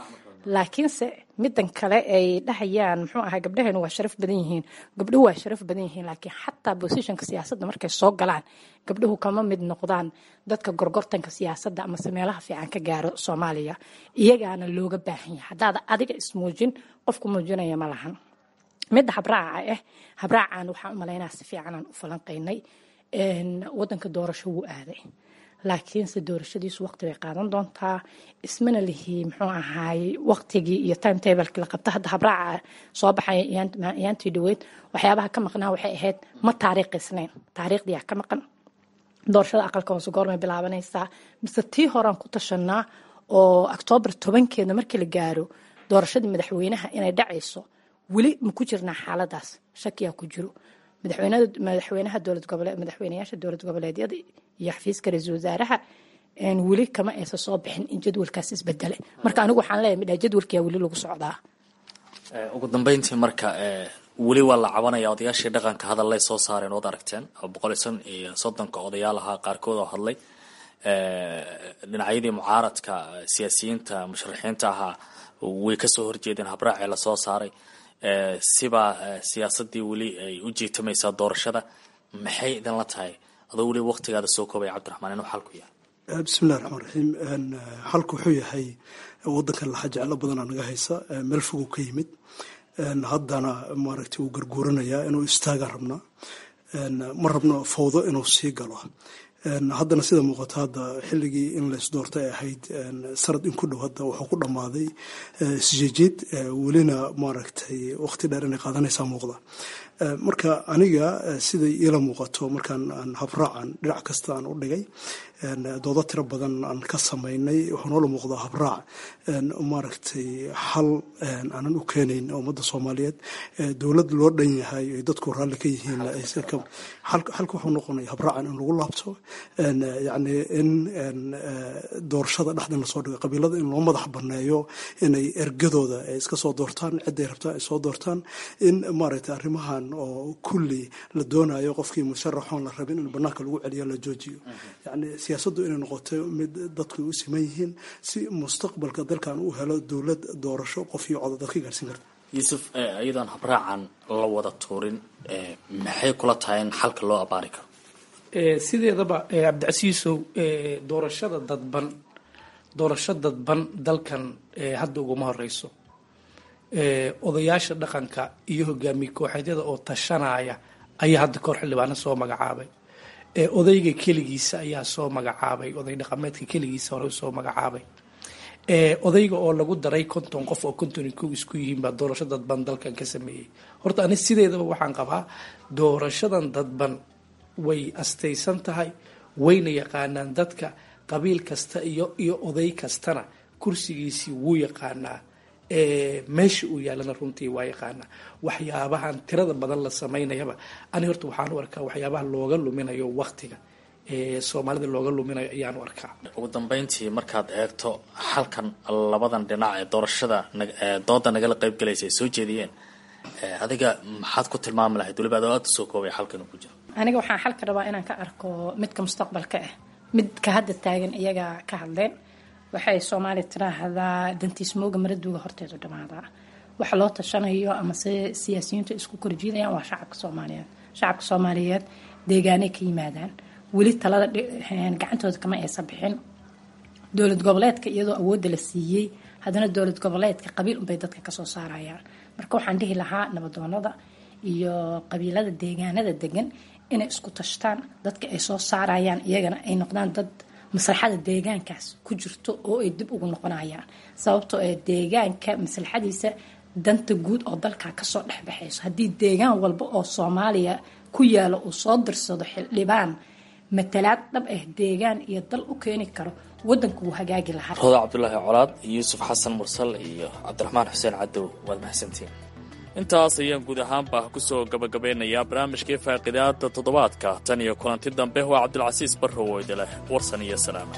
Laakiinse midan kale ay dhahayaan muxuu ahaa gabdhaheenu waa sharaf badan yihiin, gabdhuhu waa sharaf badan yihiin, laakiin xataa bosishonka siyaasadda markay soo galaan gabdhuhu kama mid noqdaan dadka gorgortanka siyaasadda amase meelaha fiican ka gaaro Soomaaliya. Iyagaana looga baahan yahay, haddaada adiga ismuujin qofku muujinaya ma lahan. Midda habraaca ah, habraacan waxaan u malaynaa si fiicanaan u falanqaynay. Wadanka doorasho wuu aaday, laakiinse doorashadiisu waqti bay qaadan doontaa. Ismana lihi muxuu ahaay waqtigii iyo timetablekii la qabta. Hadda habraaca soo baxaya iyaantii dhaweyd waxyaabaha ka maqnaa waxay ahayd ma taariikhisnayn, taariikhdiyaa ka maqan. Doorashada aqalka hoose goormay bilaabanaysaa? Mise tii horaan ku tashanaa oo Octoobar 10-keeda markii la gaaro doorashadii madaxweynaha inay dhacayso? Weli ma ku jirnaa xaaladaas? Shakiyaa ku jiro. Madaxweynaha dowlad gobole, madaxweynayaasha dowlad goboleedyada iyo xafiiska ra-iisul wasaaraha weli kama aysan soo bixin in jadwalkaas isbedele. Marka anigu waxaan leeyahay midhaa jadwalkiyaa weli lagu socdaa. Ugu dambeyntii marka weli waa la cabanaya, odayaashii dhaqanka hadallay soo saareen ood aragteen oo 135-ka odayaal ahaa qaarkood oo hadlay, dhinacyadii mucaaradka, siyaasiyiinta musharaxiinta ahaa way kasoo horjeedeen habraacii lasoo saaray. Sibaa siyaasadii weli ay u jiitamaysaa doorashada. Maxay idinla tahay, adoo weli waqtigaada soo koobaya, Cabdiraxmaan, inuu xalku yahay? Bismillahi raxmaan raxiim. Xalku wuxuu yahay wadankan laxa jeclo badanaa naga haysa, meel fogow ka yimid, haddana maaragtay wuu garguuranayaa, inuu istaagaan rabnaa, ma rabno fawdo inuu sii galo. Haddana sida muuqato hadda xilligii in laysdoortay ay ahayd sanad in ku dhow hadda wuxuu ku dhammaaday isjeejeed, welina maaragtay waqti dheer inay qaadanaysaa muuqda. Marka aniga siday iila muuqato, markaan aan habraacan dhinac kasta aan u dhigay, doodo tiro badan aan ka samaynay, wuxuu noola muuqdaa habraac maaragtay xal aanan u keenayn ummadda Soomaaliyeed, dowlad loo dhan yahay ay dadku raalli ka yihiin. Xalka wuxuu noqonaya habraacan in lagu laabto, yacni in doorashada dhexdan lasoo dhigo, qabiilada in loo madax banneeyo inay ergadooda ay iska soo doortaan, cidday rabtaan ay soo doortaan, in maaragtay arrimahan oo kulli la doonayo qofkii musharaxoon la rabin in banaanka lagu celiyo la joojiyo. Yacni siyaasaddu inay noqoto mid dadku u siman yihiin si mustaqbalka dalkan u helo dowlad doorasho qof iyo codo dadka gaarsiin karta. Yuusuf, iyadoon habraacan la wada tuurin, maxay kula tahay in xalka loo abaari karo? Sideedaba Cabdicasiisow, doorashada dadban, doorasho dadban dalkan hadda uguma horeyso. Odayaasha dhaqanka iyo hogaamiye kooxeedyada oo tashanaya ayaa hadda kahor xildhibaano soo magacaabay. Odayga keligiisa ayaa soo magacaabay, oday dhaqameedka keligiisa hore soo magacaabay. Odayga oo lagu daray 50 qof oo 51 isku yihiin baa doorasho dadban dalkan ka sameeyey. Horta ani sideedaba waxaan qabaa doorashadan dadban way astaysan tahay, wayna yaqaanaan dadka, qabiil kasta iyo oday kastana kursigiisii wuu yaqaanaa, meesha uu yaalana runtii waa yaqaanaa. Waxyaabahan tirada badan la samaynayaba ani horta waxaan u arkaa waxyaabaha looga luminayo waqtiga Soomaalida looga luminayo ayaan u arkaa. Ugu dambeyntii markaad eegto xalkan labadan dhinac ee doorashada dooda nagala qaybgalaysa ay soo jeediyeen, adiga maxaad ku tilmaami lahayd, weliba adoo aada usoo koobay xalkan uu ku jiro? Aniga waxaan xalka rabaa inaan ka arko midka mustaqbalka ah, midka hadda taagan iyaga ka hadleen. Waxay Soomaaliya tiraahdaa dantiismooga maraduuga horteedu dhamaadaa. Waxa loo tashanayo amase siyaasiyiintu isku korjiidayaan waa shacabka Soomaaliyeed. Shacabka Soomaaliyeed deegaanay ka yimaadaan, weli talada gacantooda kama aysan bixin. Dowlad goboleedka iyadoo awoodda la siiyey, haddana dowlad goboleedka qabiil unbay dadka kasoo saarayaan. Marka waxaan dhihi lahaa nabadoonada iyo qabiilada deegaanada degan inay isku tashtaan, dadka ay soo saarayaan iyagana ay noqdaan dad maslaxada deegaankaas ku jirto oo ay dib ugu noqonayaan, sababtoo ee deegaanka maslaxadiisa danta guud oo dalka kasoo dhexbaxayso. Haddii deegaan walba oo Soomaaliya ku yaalo uu soo dirsado xildhibaan matalaad dhab ah deegaan iyo dal u keeni karo, wadanku wuu hagaagi lahaa. Roda Cabdulaahi Colaad, Yuusuf Xasan Mursal iyo Cabdiraxmaan Xuseen Cadow, waad mahadsantiin. Intaas ayaan guud ahaanba kusoo gabagabeynayaa barnaamijkii faaqidaada toddobaadka. Tan iyo kulanti dambe, waa Cabdilcasiis Barrow oo idileh warsan iyo salaama.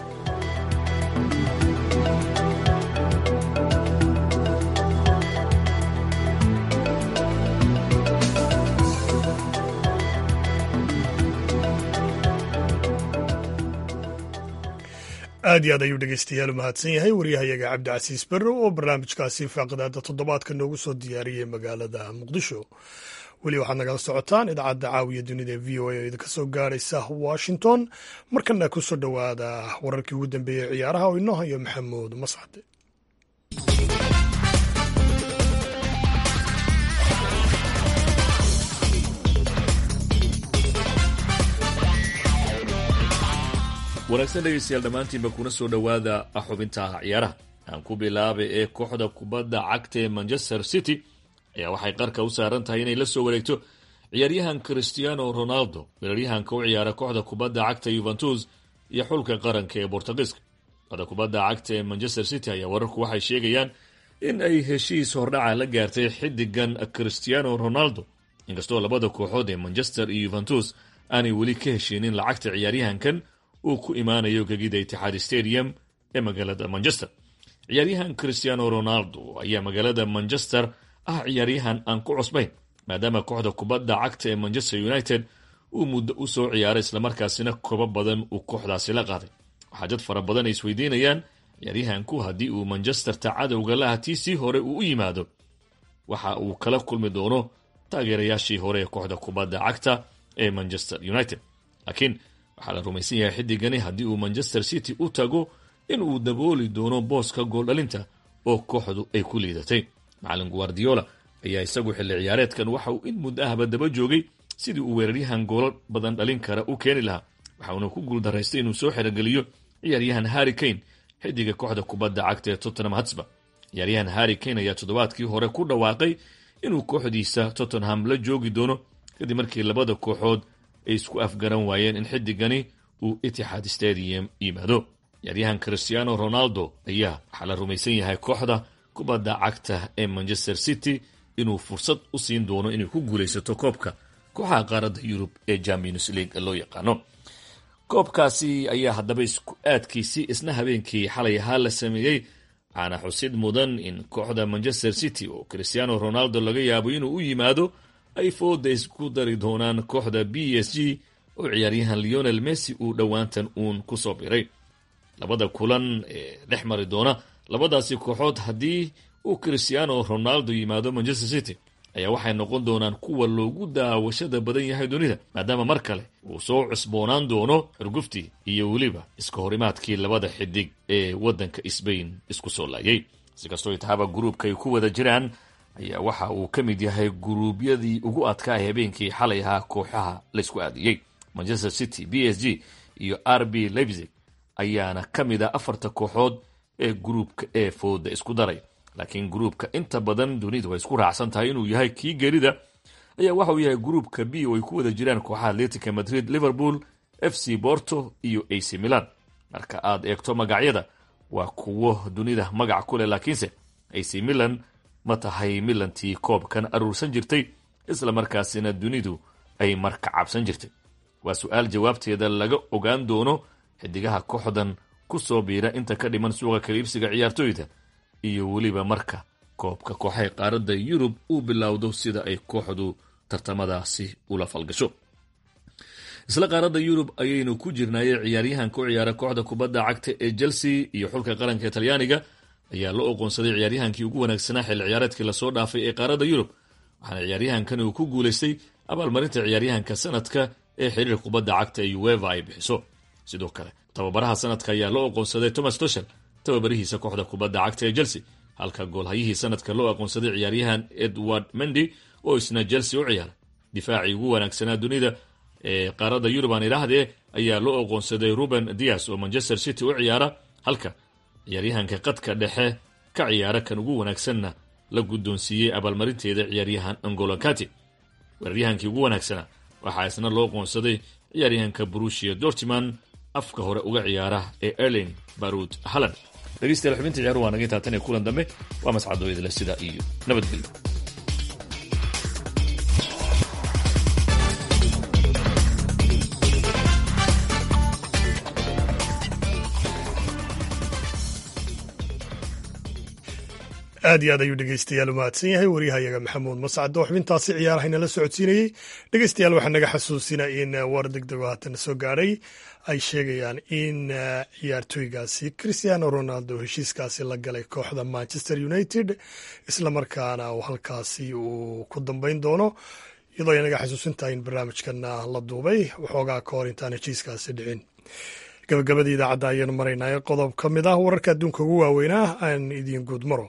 Aad iyo aad ayuu dhegeystayaal u mahadsan yahay waryahayaga Cabdicasiis Berrow oo barnaamijkaasi faaqidaada toddobaadka noogu soo diyaariyey magaalada Muqdisho. Weli waxaad nagala socotaan idaacadda Caawiya Dunida ee VOA oo idinka soo gaaraysa Washington. Markana ku soo dhowaada wararkii ugu dambeeyey ciyaaraha oo inoo hayo Maxamuud Mascade. Wanaagsan dhegeystayaal dhammaantiinba, kuna soo dhowaada xubinta ciyaaraha. Aan ku bilaabay ee kooxda kubadda cagta ee Manchester City ayaa waxay qarka u saaran tahay inay la soo wareegto ciyaaryahan Cristiano Ronaldo, weeraryahanka u ciyaara kooxda kubadda cagta Juventus iyo xulka qaranka ee Bortugiiska. Kooxda kubadda cagta ee Manchester City ayaa wararku waxay sheegayaan in ay heshiis hordhaca la gaartay xiddigan Cristiano Ronaldo, inkastoo labada kooxood ee Manchester iyo Juventus aanay weli ka heshiinin lacagta ciyaaryahankan uu ku imaanayo gegida Itixaad Stadium ee magaalada Manchester. Ciyaaryahan Cristiano Ronaldo ayaa magaalada Manchester ah ciyaaryahan aan ku cusbayn, maadaama kooxda kubadda cagta ee Manchester United uu muddo u soo ciyaaray, islamarkaasina kobo badan uu kooxdaasi la qaaday. Waxaa dad fara badan ay isweydiinayaan ciyaaryahanku haddii uu Manchesterta cadowga laha tiisii hore uu u yimaado, waxa uu kala kulmi doono taageerayaashii hore ee kooxda kubadda cagta ee Manchester United. Laakiin waxaa la rumaysan yahay xiddigani haddii uu Manchester City u tago in uu dabooli doono booska gooldhalinta oo kooxdu ay ku liidatay. Macalin Guardiola ayaa isagu xilli ciyaareedkan waxa uu in muddo ahba daba joogay sidii uu weeraryahan goolo badan dhalin kara u keeni lahaa, waxauna ku guuldaraystay inuu soo xerogeliyo ciyaaryahan Harry Kane, xiddiga kooxda kubadda cagta ee Tottenham Hotspur. Ciyaaryahan Harry Kane ayaa toddobaadkii hore ku dhawaaqay inuu kooxdiisa Tottenham la joogi doono, kadib markii labada kooxood ay isku afgaran waayeen in xiddigani uu Itixaad Stadium yimaado. Ciyaaryahan Cristiano Ronaldo ayaa waxaa la rumaysan yahay kooxda kubadda cagta ee Manchester City inuu fursad u siin doono inay ku guulaysato koobka kooxaha qaaradda Yurub ee Champions League loo yaqaano. Koobkaasi ayaa haddaba isku aadkiisii isna habeenkii xalay ahaa la sameeyey, waxaana xusid mudan in kooxda Manchester City oo Cristiano Ronaldo laga yaabo inuu u yimaado ay fooda isku dari doonaan kooxda PSG oo ciyaaryahan Lionel Messi uu dhowaantan uun ku soo biray. Labada kulan ee dhex mari doona labadaasi kooxood haddii uu Cristiano Ronaldo yimaado Manchester City ayaa waxay noqon doonaan kuwa loogu daawashada badan yahay dunida, maadaama mar kale uu soo cusboonaan doono xurguftii iyo weliba iska horimaadkii labada xidig ee waddanka Sbain isku soo laayay. Si kastoo itaaba, gruubka ay ku wada jiraan ayaa waxa uu ka mid yahay guruubyadii ugu adkaa ee habeenkii xalay ahaa kooxaha laysku aadiyey. Manchester City, PSG iyo RB Leipzig ayaana ka mid ah afarta kooxood ee gruubka ee fooda isku daray. Laakiin gruubka inta badan dunidu ay isku raacsan tahay inuu yahay kii gerida ayaa waxa uu yahay gruubka B oo ay ku wada jiraan kooxaha Atletica Madrid, Liverpool, FC Porto iyo AC Milan. Marka aad eegto magacyada, waa kuwo dunida magac ku leh, laakiinse AC Milan ma tahay Milantii koobkan aruursan jirtay, isla markaasina dunidu ay marka cabsan jirtay? Waa su-aal jawaabteeda laga ogaan doono xidigaha kooxdan ku soo biira inta ka dhiman suuqa kala iibsiga ciyaartooyda iyo weliba marka koobka kooxaha qaaradda Yurub uu bilowdo sida ay kooxdu tartamadaasi ula falgasho. Isla qaaradda Yurub ayaynu ku jirnaayey, ciyaaryahanka u ciyaara kooxda kubadda cagta ee Chelsea iyo xulka qaranka ee Talyaaniga ayaa la oqoonsaday ciyaaryahankii ugu wanaagsanaa xilli ciyaareedkii lasoo dhaafay ee qaaradda Yurub, waxaana ciyaaryahankan uu ku guulaystay abaalmarinta ciyaaryahanka sanadka ee xiriirka kubadda cagta ee UEFA ay bixiso. Sidoo kale tababaraha sanadka ayaa loo oqoonsaday Thomas Tuchel, tababarihiisa kooxda kubadda cagta ee Chelsea, halka goolhayihii sanadka loo aqoonsaday ciyaaryahan Edward Mendy oo isna Chelsea u ciyaaray. Difaacii ugu wanaagsanaa dunida ee qaaradda Yurub aan idhaahdee ayaa loo oqoonsaday Ruben Dias oo Manchester City u ciyaara, halka ciyaaryahanka qadka dhexe ka ciyaara kan ugu wanaagsanna la guddoonsiiyey abaalmarinteeda ciyaaryahan N'Golo Kante. Weeraryahankii ugu wanaagsanaa waxaa isna loo qoonsaday ciyaaryahanka Borussia Dortmund afka hore uga ciyaara ee Erling Barut Haaland. Dhegeystayaal, xubinta ciyaaruhu waa naga intaa. Tan iyo kulan dambe, waa mascadoo idinle sida iyo nabadgelyo. Aad iyo aad ayuu dhegeystayaal u mahadsan yahay waryahayaga Maxamuud Mascado, xubintaasi ciyaaraha inala socodsiinayey. Dhegeystayaal, waxaa naga xasuusina in war degdego haatan soo gaadhay ay sheegayaan in ciyaartooygaasi Cristiano Ronaldo heshiiskaasi la galay kooxda Manchester United, islamarkaana uu halkaasi uu ku dambeyn doono, iyadoo ay naga xasuusintahay in barnaamijkana la duubay waxoogaa ka hor intaan heshiiskaasi dhicin. Gabagabadii idaacadda ayaanu maraynaa. Qodob ka mid ah wararka adduunka ugu waaweynaa aan idiin guud maro.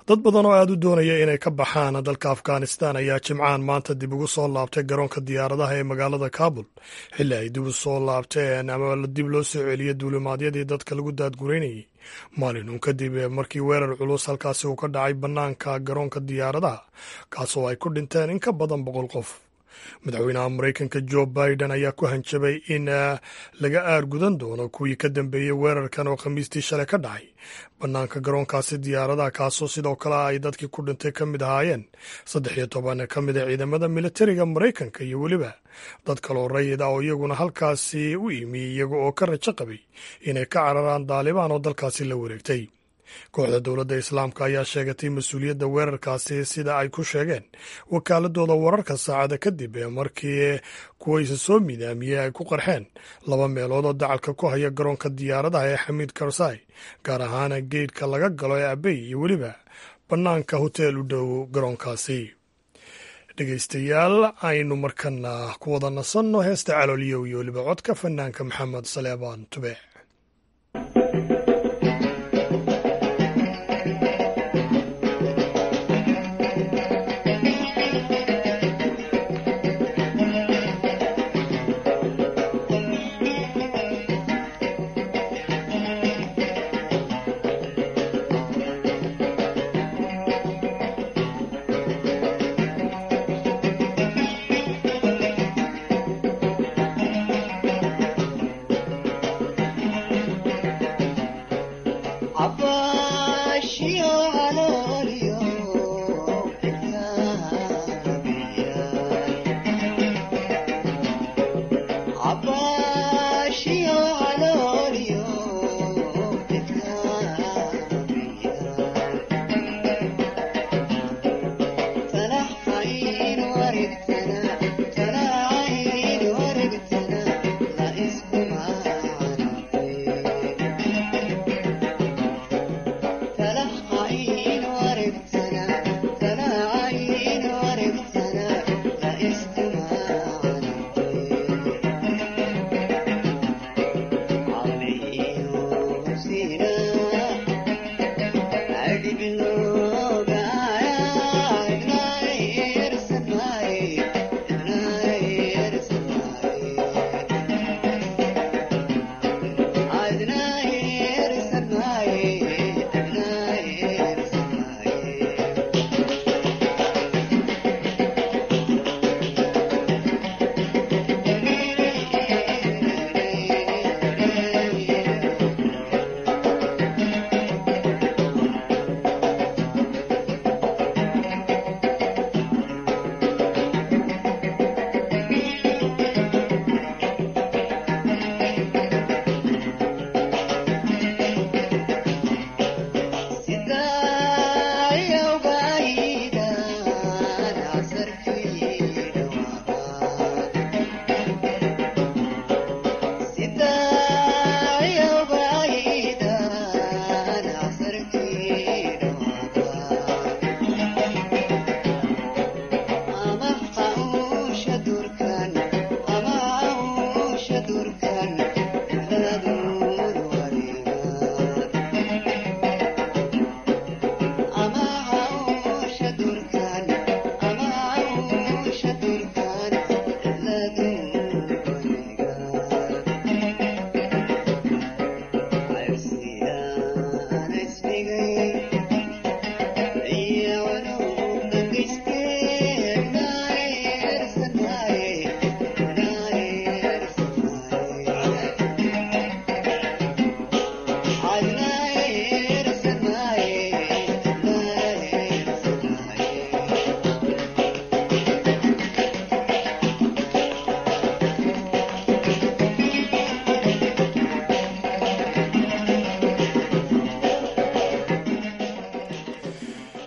Dad badan oo aada u doonaya inay ka baxaan dalka Afghanistan ayaa Jimcahan maanta dib ugu soo laabtay garoonka diyaaradaha ee magaalada Kabul, xilli ay dib u soo laabteen ama dib loo soo celiyey duulimaadyadii dadka lagu daadgureynayay, maalin uun kadib markii weerar culus halkaasi uu ka dhacay bannaanka garoonka diyaaradaha, kaasoo ay ku dhinteen in ka badan 100 qof. Madaxweynaha Maraykanka Joe Biden ayaa ku hanjabay in laga aargudan doono kuwii ka dambeeyey weerarkan oo Khamiistii shalay ka dhacay bannaanka garoonkaasi diyaaradaha, kaasoo sidoo kale ay dadkii ku dhintay ka mid ahaayeen 13 ka mid a ciidamada militariga Maraykanka iyo weliba dad kaloo rayid ah oo iyaguna halkaasi u imi iyaga oo ka rajo qabay inay ka cararaan Daalibaan oo dalkaasi la wareegtay. Kooxda Dowladda Islaamka ayaa sheegatay mas-uuliyadda weerarkaasi, sida ay ku sheegeen wakaaladooda wararka, saacada kadib ee markii kuwa isa soo midaamiyey ay ku qarxeen laba meelood oo dacalka ku haya garoonka diyaaradaha ee Xamiid Karsai, gaar ahaan geedhka laga galo ee Abey iyo weliba bannaanka hoteel u dhow garoonkaasi. Dhegeystayaal, aynu markana ku wada nasanno heesta Calooliyow iyo weliba codka fanaanka Maxamed Saleebaan Tube.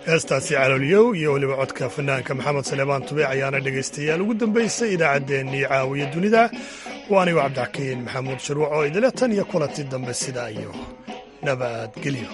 Heestaasi Caloolyow iyo weliba codka fanaanka Maxamed Saleebaan Tubeec ayaana dhegaystayaal ugu dambaysay idaacaddeenii Caawiya Dunida. Waa anigoo Cabdixakiin Maxamuud Shuruuc oo idile tan iyo kulanti dambe, sidaa iyo nabadgelyo.